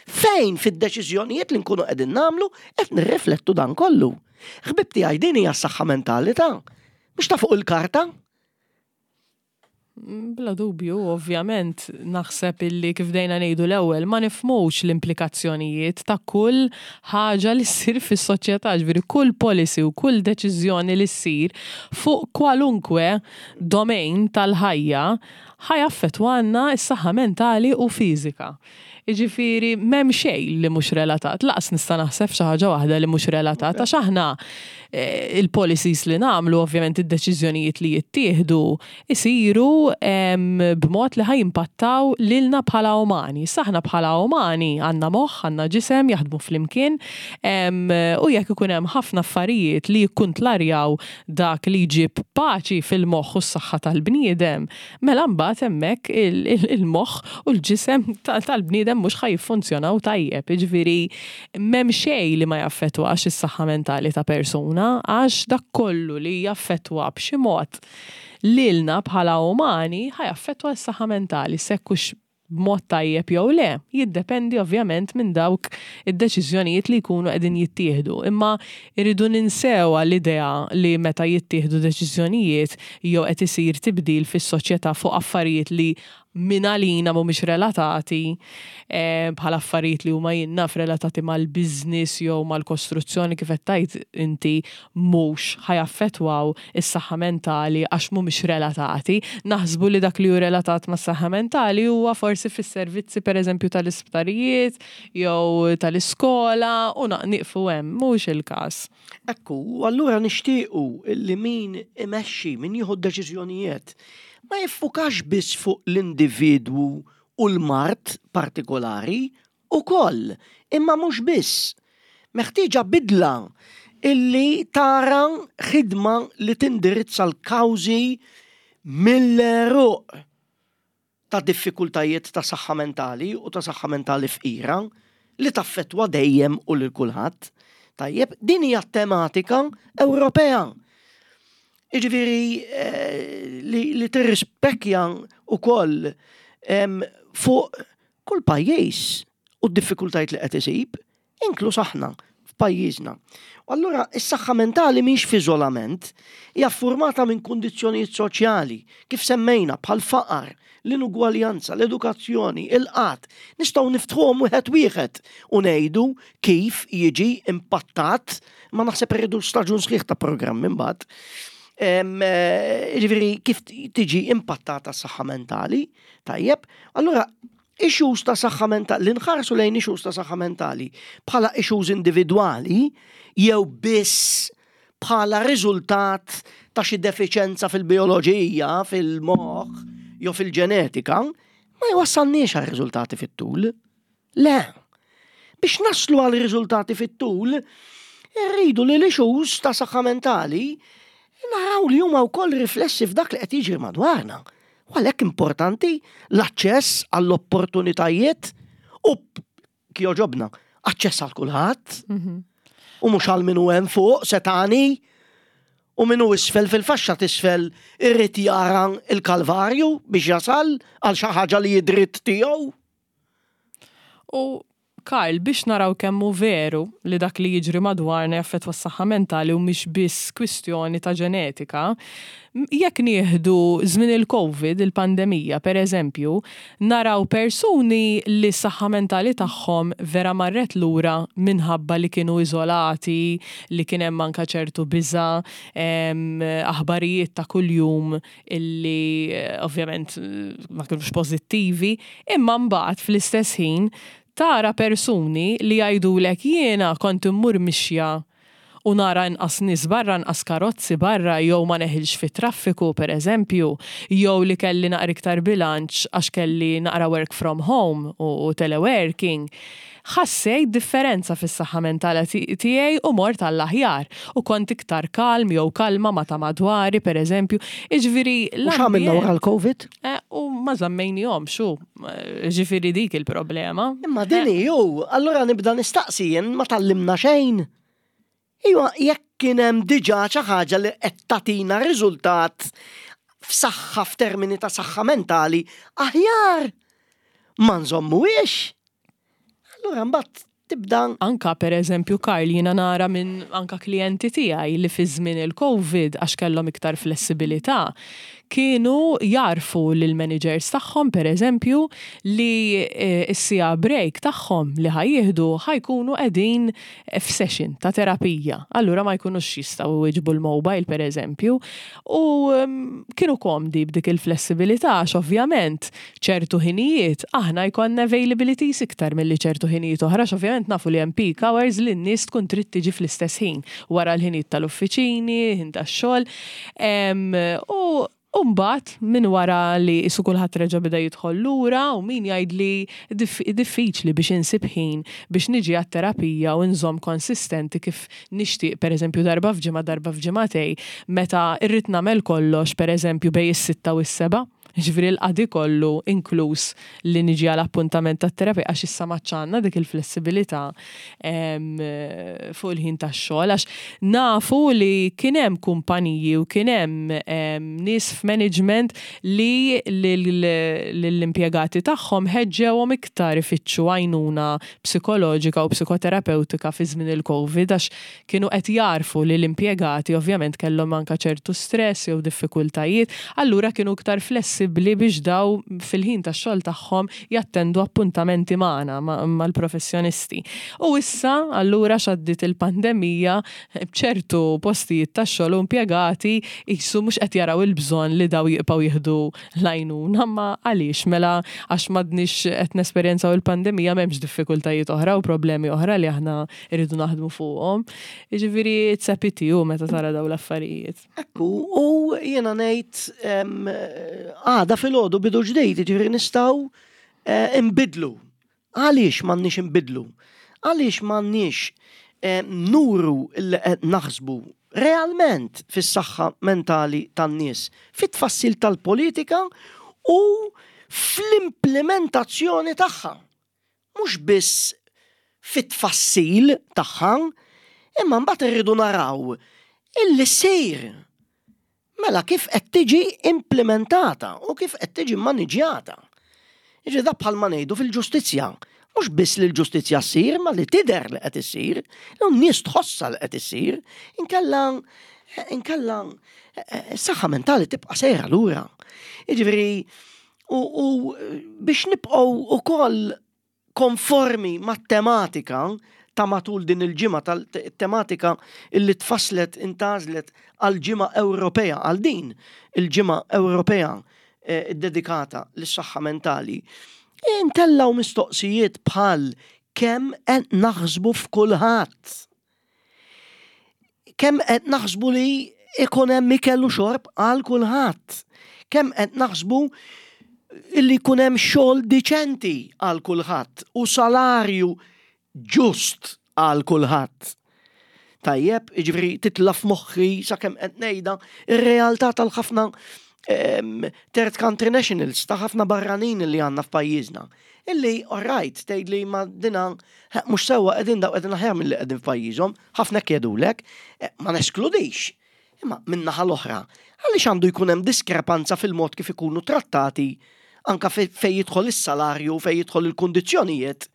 Fejn fid-deċiżjonijiet li nkunu qegħdin nagħmlu qed nirriflettu dan kollu? Ħbib tiegħi, din hija s-saħħa mentali ta' mhux ta' fuq il-karta. Bla dubju, ovvjament, naħseb illi kif dejna ngħidu l-ewwel ma nifhmux l-implikazzjonijiet ta' kull ħaġa li ssir fis-soċjetà, ġifieri kull policy u kull deċiżjoni li ssir fuq kwalunkwe domain tal-ħajja ħa jaffettwalna s-saħħa mentali u fiżika. Jiġifieri m'hemm xejn li mhux relatat, lanqas nista' naħseb xi ħaġa waħda li mhux relatat, għax aħna eh, il-policies li nagħmlu, ovvjament id-deċiżjonijiet li jittieħdu isiru b'mod li ħa jimpattaw lilna bħala umani. Aħna bħala umani għandna moħħ, għandna ġisem jaħdmu flimkien u jekk ikun hemm ħafna affarijiet li jikkuntlarjaw dak li jġib paċi fil-moħħ u s-saħħa tal-bniedem, mela mbagħad hemmhekk il-moħħ u l-ġisem tal-bniedem mhux ħa jiffunzjonaw tajjeb. Jiġifieri m'hemm xejn li ma jaffettwax is-saħħa mentali ta' persuna għax dak kollu li jaffettwa b'xi mod lilna bħala umani ħa jaffettwa s-saħħa mentali, jekk hux b'mod tajjeb jew le, jiddependi ovvjament minn dawk id-deċiżjonijiet li jkunu qegħdin jittieħdu. Imma irridu ninsew l-idea li meta jittieħdu deċiżjonijiet jew qed isir tibdil fis-soċjetà fuq affarijiet li minn għalina mhumiex relatati, eh, bħal affarijiet li huma jinnaf relatati mal-business jew mal-kostruzzjoni kif qed tgħid inti, mhux ħa jaffettwaw is-saħħa mentali għax mhumiex relatati. Naħsbu li dak li hu relatat mas-saħħa mentali huwa forsi fis-servizzi pereżempju tal-isptarijiet jew tal-iskola u nieqfu hemm, mhux il-każ. Ekku, u allura nixtiequ li min imexxi, min jieħu d-deċiżjonijiet, ma jiffukax biss fuq l-individwu u l-mard partikolari ukoll, imma mhux biss. Meħtieġa bidla illi tara ħidma li tindirizza l-kawżi mill-għeruq ta' diffikultajiet ta' saħħa mentali u ta' saħħa mentali fqira li taffettwa dejjem u lil kulħadd. Tajjeb, din hija tematika Ewropea. Jiġifieri eh, li, li tirrispekja ukoll fuq kull pajjiż u d-diffikultajiet li qed isib, Inkluż aħna f'pajjiżna. U allura is-saħħa mentali mhix f'iżolament, hija formata minn kundizzjonijiet soċjali, kif semmejna bħal faqar, l-inugwaljanza, l-edukazzjoni, il-qgħad. Nistgħu niftħuhom wieħed wieħed u ngħidu kif jiġi impattat, ma naħseb irridu staġun sħiħ ta' programm imbagħad. Ġifieri kif tiġi impattata s-saħħa mentali, tajjeb, allura issues ta' saħħa mentali, li nħarsu lejn issues ta' saħħa mentali bħala issues individwali jew biss bħala riżultat ta' xi defiċenza fil-bioloġija, fil-moħħ jew fil-ġenetika, ma jwassalniex għal riżultati fit-tul. Le. Biex naslu għal riżultati fit-tul, irridu li l-issues ta' saħħa mentali naraw li huma wkoll riflessi f'dak li qed jiġri madwarna. U għalhekk importanti l-aċċess għall-opportunitajiet u kjoġobna, aċċess għal kulħadd. Mhm. U mhux għal min hu hemm fuq setani u min hu isfel fil-faxxa t'isfel irrid jara il-kalvarju biex jasal għal xi ħaġa li jidritt tiegħu. U Karl, biex naraw kemm hu veru li dak li jiġri madwarna jaffettwa s-saħħa mentali u mhix biss kwistjoni ta' ġenetika, jekk nieħdu żmien il-Covid, il-pandemija, per eżempju, naraw persuni li s-saħħa mentali tagħhom vera marret lura minħabba li kienu iżolati, li kien hemm anka ċertu biża, aħbarijiet ta' kuljum illi eh, ovvjament ma kienux pożittivi, imma mbagħad fl-istess ħin tara persuni li jgħidulek jiena kont immur mixja u nara inqas nies barra, inqas karozzi barra, jew ma neħilx fit traffiku per eżempju, jew li kelli naqra iktar bilanċ għax kelli naqra work from home u, u teleworking. Ħassejt differenza fis-saħħa mentali tiegħi u mort għall-aħjar u kont iktar kalm jew kalma ma ta' madwari per eżempju. Iġifieri U x'għamilna wara l-Covid? Eh, u ma żammejnihom xu, ġifieri dik il-problema. Imma din ju, allura nibda nistaqsi jien ma tgħallimna xejn. Iwa, jekk kien hemm diġà xi ħaġa li qed tagħtina riżultat f'saħħa f'termini ta' saħħa mentali, aħjar ma nżommuhiex. Allura mbagħad tibda Anka per eżempju, Karl, jiena nara minn anka klijenti tiegħi li fi żmien il-Covid, għax kellhom iktar flessibilità, kienu jarfu lil managers tagħhom per eżempju li eh, s-siegħa break tagħhom li ħa jieħdu ħa jkunu qegħdin f'session ta' terapija. Allura ma jkunux jistgħu jwiġbu l-mobile per eżempju. U mm, kienu komdi b'dik il-flessibilità għax ovvjament ċertu ħinijiet aħna jkollna availabilities iktar milli ċertu ħinijiet oħra, għax ovvjament nafu li hemm peak hours li n-nies tkun trid tiġi fl-istess ħin wara l-ħinijiet tal-uffiċini, ħin tax-xogħol. Em, U Umbat, minn wara li isu kulħadd reġa' beda jidħol lura u min jgħid li dif diffiċli biex insib ħin biex niġi għat-terapija u nżomm konsistenti kif nixtieq, pereżempju darba f'ġimgħa, darba f'ġimagħtejn, meta irrid nagħmel kollox pereżempju bejn is-sitta u s-seba'. Ġifieri l-qadi kollu inkluż li niġi għal appuntament tat-terapija, għax issa maċċanna dik il-flessibilità em, fuq il-ħin tax-xogħol, għax nafu li kien hemm kumpaniji u kien hemm em, nies f'management li lill-impjegati tagħhom ħeġġewhom iktar ifittxu għajnuna psikoloġika u psikoterapeutika fi żmien il-Covid, għax kienu qed jarfu li l-impjegati ovvjament kellhom anka ċertu stress jew diffikultajiet, allura kienu iktar flessibbli biex daw fil-ħin tax-xogħol tagħhom jattendu appuntamenti magħna mal-professjonisti. U issa allura x'għaddiet il-pandemija, b'ċertu postijiet tax-xogħol u impjegati qisu mhux qed jaraw il-bżonn li daw jibqgħu jieħdu l-għajnuna, ma għaliex mela għax m'għadniex qed nesperjenzaw il-pandemija m'hemmx diffikultajiet oħra u problemi oħra li aħna rridu naħdmu fuqhom. Jiġifieri it's a pity u meta tara daw l-affarijiet. Ekku, u jiena ngħid em, għada filgħodu bidu ġdid, ġifieri nistgħu eh, imbidlu. Għaliex m'għandniex imbidlu? Għaliex m'għandniex eh, nuru li qed naħsbu realment fis-saħħa mentali tan-nies, fit-tfassil tal-politika u fl-implementazzjoni tagħha. Mhux biss fit-tfassil tagħha, imma mbagħad irridu naraw illi ssir. Mela kif qed tiġi implementata u kif qed tiġi maniġjata. Jiġi da bħalma ngħidu fil-ġustizzja. Mhux biss li l-ġustizzja ssir, ma li tidher li qed issir, n-nies tħossha li qed issir, inkella inkella s-saħħa mentali tibqa' sejra lura. Jiġifieri, u, u biex nibqgħu ukoll konformi mat-tematika ta' matul din il-ġimgħa, tal-tematika illi tfasslet, intgħażlet għal-Ġimgħa Ewropea, għal din il-Ġimgħa Ewropea eh, dedikata lis-saħħa mentali, intellaw mistoqsijiet bħal kemm qed naħsbu f'kulħadd. Kemm qed naħsbu li ikun hemm ikel u xorb għal kulħadd. Kemm qed naħsbu illi jkun hemm xogħol diċenti għal kulħadd u salarju ġust għal kulħadd. Tajjeb, jiġifieri titla' f'moħħi sakemm qed ngħidha ir-realtà tal-ħafna third country nationals, ta' ħafna barranin li għandna f'pajjiżna. Illi, alright, tgħid li ma dina mhux sewwa, qegħdin daw qegħdin aħjar milli qegħdin f'pajjiżhom, ħafna jgħidulek, eh, ma neskludix. Imma min-naħa l-oħra, għaliex għandu jkun hemm diskrepanza fil-mod kif ikunu trattati anka fej jidħol is-salarju, fej jidħol il-kundizzjonijiet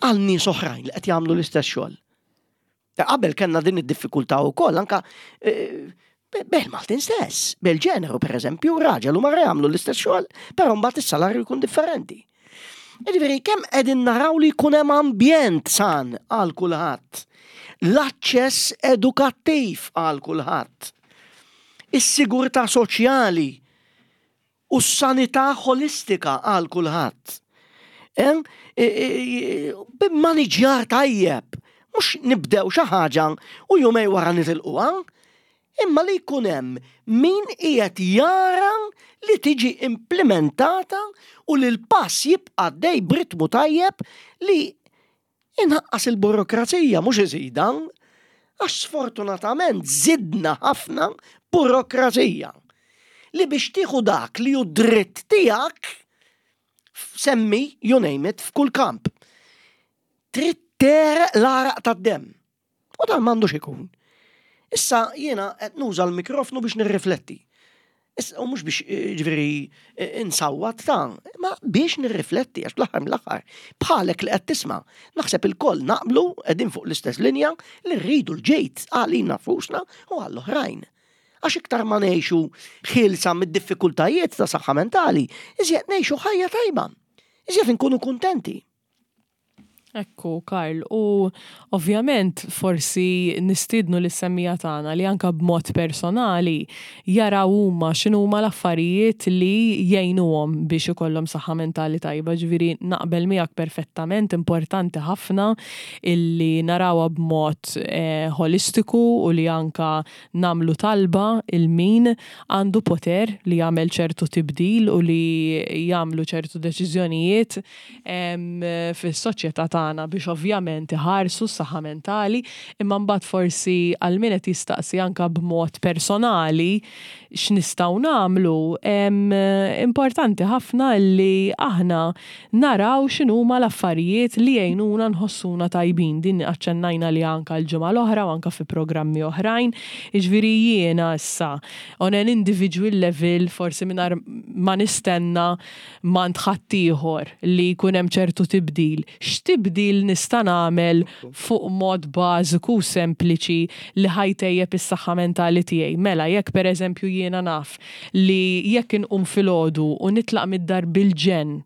għal nies oħrajn li qed jagħmlu l-istess xogħol? Qabel kellna din id-diffikultà wkoll anka eh, bil-Maltin stess, bil-ġeneru per eżempju, raġel u mara jagħmlu l-istess xogħol, però mbagħad is-salarju jkun differenti. Jiġifieri kemm qegħdin naraw li jkun hemm ambjent san għal kulħadd, l-aċċess edukattiv għal kulħadd, is-sigurtà soċjali u s-sanità ħolistika għal kulħadd. B'immaniġġjar tajjeb, mhux nibdew xi ħaġa u jumejn wara nitilquha, imma li jkun hemm min qiegħed jara li tiġi implementata u li l-pass jibqa' dej b'ritmu tajjeb li inaqqas il-burokrazija, mhux iżida, għax sfortunatament zidna ħafna burokrazija li biex tieħu dak li hu dritt tiegħek, semmi, you name it, f'kull kamp. Trid tegħreq l-għaraq tad-demm. U dan m'għandux ikun. Issa jiena qed nuża l-mikrofnu biex nirrifletti. Issa, u mhux biex, ġifieri, insawwat ta', ma biex nirrifletti, għax fl-aħħar mill-aħħar, bħalek li qed tisma', naħseb il-koll naqblu qegħdin fuq l-istess linja li rridu l-ġejt għalina nfusna u għall-oħrajn. Għax iktar ma ngħixu ħielsa mid-diffikultajiet ta' saħħa mentali, iżjed ngħixu ħajja tajba, iżjed inkunu kuntenti. Ekku, Karl, u ovvjament forsi nistiednu lis-semmiegħa tagħna li anka b'mod personali jaraw huma x'inhuma l-affarijiet li jgħinuhom biex ikollhom saħħa mentali tajba. Ġifieri naqbel miegħek perfettament, importanti ħafna illi narawha b'mod eh, holistiku u li anka nagħmlu talba lil min għandu poter li jagħmel ċertu tibdil u li jagħmlu ċertu deċiżjonijiet fis-soċjetà tagħna biex ovvjament iħarsu s-saħħa mentali, imma mbagħad forsi għal min qed jistaqsi anka b'mod personali x'nistgħu nagħmlu, importanti ħafna li aħna naraw x'inhuma l-affarijiet li jgħinuna nħossuna tajbin. Din aċċennajna li anka l-ġimgħa l-oħra u anka fi programmi oħrajn. Jiġifieri jiena issa on an individual level, forsi mingħajr ma nistenna m'għand ħaddieħor li jkun hemm ċertu tibdil, x'tibdil nista' nagħmel fuq mod bażiku u sempliċi li ħa jtejjeb is-saħħa mentali tiegħi? Mela jekk pereżempju jiena naf li jekk inqum filgħodu u nitlaq mid-dar bil-ġenn,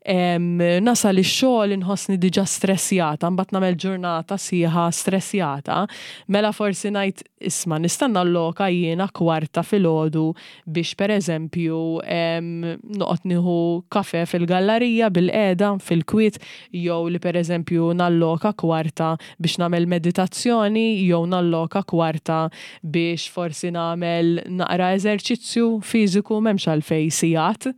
nasal ix-xogħol inħossni diġà stressjata, mbagħad nagħmel ġurnata sħiħa stressjata, mela forsi ngħid, isma', nista' nalloka jiena kwarta filgħodu biex pereżempju noqgħod nieħu kafe fil-gallerija bil-qiegħda fil-kwiet, jew li pereżempju nalloka kwarta biex nagħmel meditazzjoni, jew nalloka kwarta biex forsi nagħmel naqra eżerċizzju fiżiku, m'hemmx għalfejn sigħat.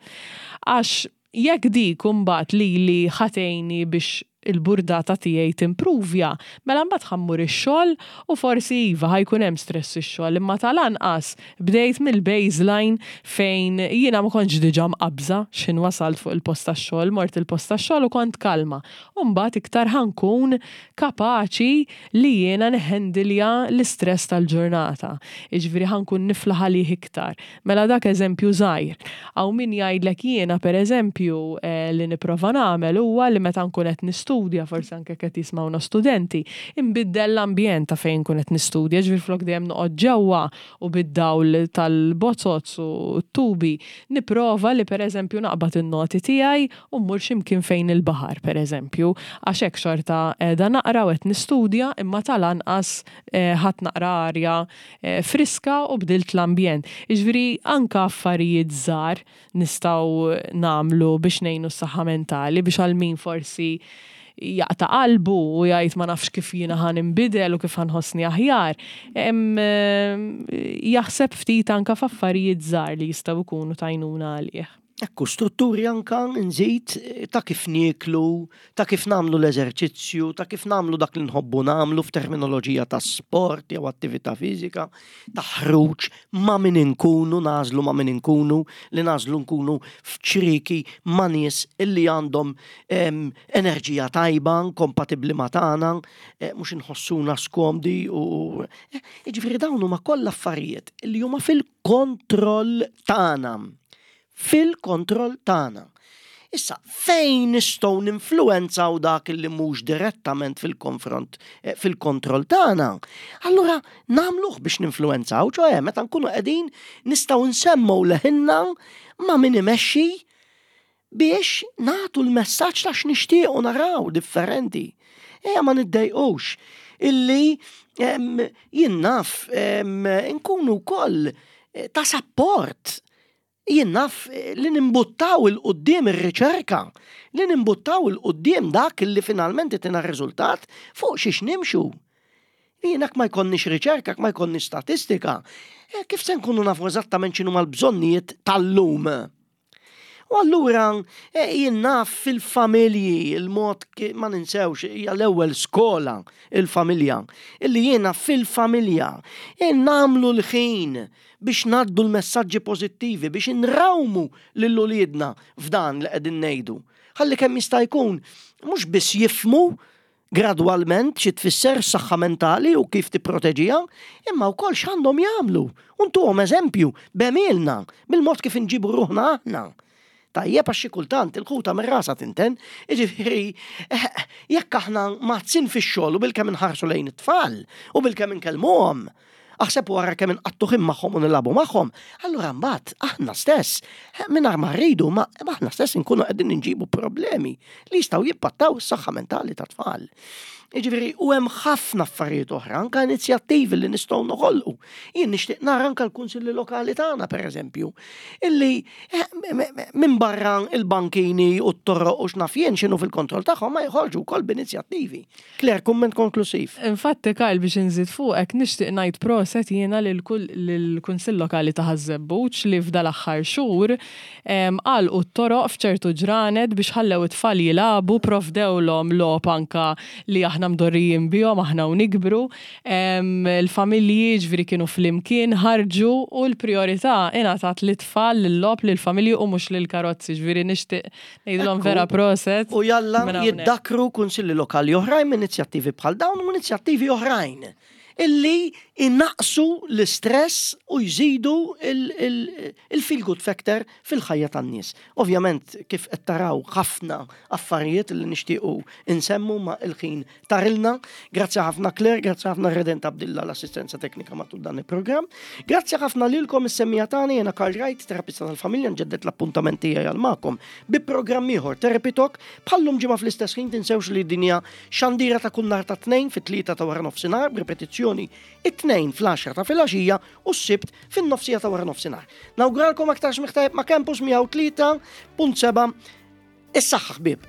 Għax jekk dik imbagħad li li ħa tgħinni biex Il-burdata tiegħi timpruvja, mela mbagħad ħa mmur ix-xogħol u forsi iva ħa jkun hemm stress ix-xogħol, imma tal-anqas bdejt mill-baseline fejn jiena ma kontx diġà mqabża x'ħin wasalt fuq il-post tax-xogħol, mort il-post tax-xogħol u kont kalma. U mbagħad iktar ħa nkun kapaċi li jiena neħendilja l-istress tal-ġurnata. Jiġifieri ħa nkun niflaħ għalih iktar. Mela dak eżempju żgħir. Hawn min jgħidlek jiena, pereżempju, eh, li nipprova nagħmel huwa li meta nkun qed nistudja, forsi anke qed jismawna studenti, imbiddel l-ambjent ta' fejn nkun qed nistudja, ġifieri flok dejjem noqgħod ġewwa u bid-dawl tal-bozoz u t-tubi, nipprova li, pereżempju, naqbad in-noti tiegħi u mmur x'imkien fejn il-baħar, pereżempju, għax hekk xorta qiegħda naqra u qed nistudja, imma tal-anqas eh, ħadt naqra arja eh, friska u bdilt l-ambjent. Jiġifieri anka affarijiet żgħar nistgħu nagħmlu biex ngħinu s-saħħa mentali, biex għal min forsi jaqta' qalbu u jgħid ma nafx kif jiena ħa ninbidel u kif ħa nħossni aħjar. Jaħseb ftit anka f'affarijiet żgħar li jistgħu jkunu t'għajnuna għalih. Ekku, strutturi anka nżid ta' kif nieklu, ta' kif nagħmlu l-eżerċizzju, ta' kif nagħmlu dak li nħobbu nagħmlu f'terminoloġija ta' sport jew attività fiżika, ta' ħruġ, ma' min inkunu, nagħżlu ma' min inkunu, li nagħżlu nkunu f'ċrieki ma' nies illi għandhom enerġija tajba, kompatibbli ma' tagħna, eh, mhux inħossuna skomdi u eh, jiġifieri dawn huma kollha affarijiet illi huma fil-kontroll tagħna fil-kontroll tagħna. Issa, fejn nistgħu ninfluwenzaw dak li mhux direttament fil-konfront eh, fil-kontroll tagħna? Allura nagħmluh biex ninfluwenzaw, ċoè meta nkunu qegħdin nistgħu nsemmu leħinna ma' min imexxi biex nagħtu l-messaġġ ta' x'nixtiequ naraw differenti. Ejja ma niddejqux illi jien naf nkunu wkoll eh, ta' support, jien naf, eh, li nimbuttaw 'il quddiem ir-riċerka, li nimbuttaw 'il quddiem dak li finalment tina riżultat fuq xiex nimxu. Jien ma jkollniex riċerka, ma jkollniex statistika, eh, kif se nkunu nafu eżattament x'inhu mal-bżonnijiet tal-lum? U allura eh, jien naf fil-familji, il-mod ma ninsewx, hija l-ewwel skola il-familja, illi jiena fil-familja nagħmlu l-ħin biex ngħaddu l-messaġġi pożittivi, biex nrawmu lil uliedna f'dan li qegħdin ngħidu. Ħalli kemm jista' jkun mhux biss jifhmu gradwalment xi tfisser saħħa mentali u kif tipproteġiha, imma wkoll x'għandhom jagħmlu. U ntuhom eżempju b'għemilna, bil-mod kif inġibu ruħna aħna. Tajjeb, għax xi kultant il-ħuta minn rasha tinten, jiġifieri eh, jekk aħna mazzin fix-xogħol u bilkemm inħarsu lejn it-tfal u bilkemm inkellmuhom, aħseb wara kemm inqattu ħin magħhom u nilagħbu magħhom, allura mbagħad aħna stess, eh, mingħajr ma rridu, ma aħna stess inkunu qegħdin inġibu problemi li jistgħu jimpattaw is-saħħa mentali tat-tfal. Jiġifieri, u hemm ħafna affarijiet oħra, anka inizjattivi li nistgħu noħolqu. Jien nixtieq nara anka l-kunsilli lokali tagħna, pereżempju, illi eh, minn barra il-bankini u t-toroq u x'naf jien x'inhu fil-kontroll tagħhom ma jħorġu wkoll b'inizjattivi. Claire, kumment konklusiv. Infatti, Kyle, biex inżid fuqek, nixtieq ngħid proset jiena lill-Kunsill Lokali ta' Ħaż-Żebbuġ li f'dal-aħħar xhur għalqu t-toroq f'ċertu ġranet biex ħallew it-tfal jilagħbu, provdewlhom logħob anka li aħna mdorrijin bihom aħna u nikbru. Il-familji ġifieri kienu flimkien ħarġu u l-priorità ingħatat lit-tfal, lill-logħob, lill-familji u mhux lill-karozzi, ġifieri nixtieq ngħidilhom vera proset. U jalla jiddakru kunsilli lokali oħrajn minn inizjattivi bħal dawn u inizjattivi oħrajn illi innaqsu l-istress u jżidu il-feel good factor fil-ħajja tan-nies. Ovvjament, kif qed taraw, ħafna affarijiet li nixtiequ insemmu ma il-ħin tarilna. Grazzi ħafna Claire, grazzi ħafna Redent Abdilla l-assistenza teknika matul dan il-programm. Grazzi ħafna lilkom is-semmiegħa tagħna. Jiena Karl Wright, terapista tal-familja, nġeddet l-appuntament tiegħi għal magħkom bi programm ieħor Therapy Talk bħallum ġimgħa fl-istess ħin. Tinsewx li din hija xandira ta' kull nhar ta' Tnejn fit-tlieta ta' wara nofsinhar, b'ripetizzjoni it-Tnejn fl-għaxra ta' filgħaxija u s-Sibt fin-nofsija ta' wara nofsinhar. Nawguralkom aktar smigħ tajjeb ma' Campus mija u tlieta punt seba'. Is-saħħa, ħbieb.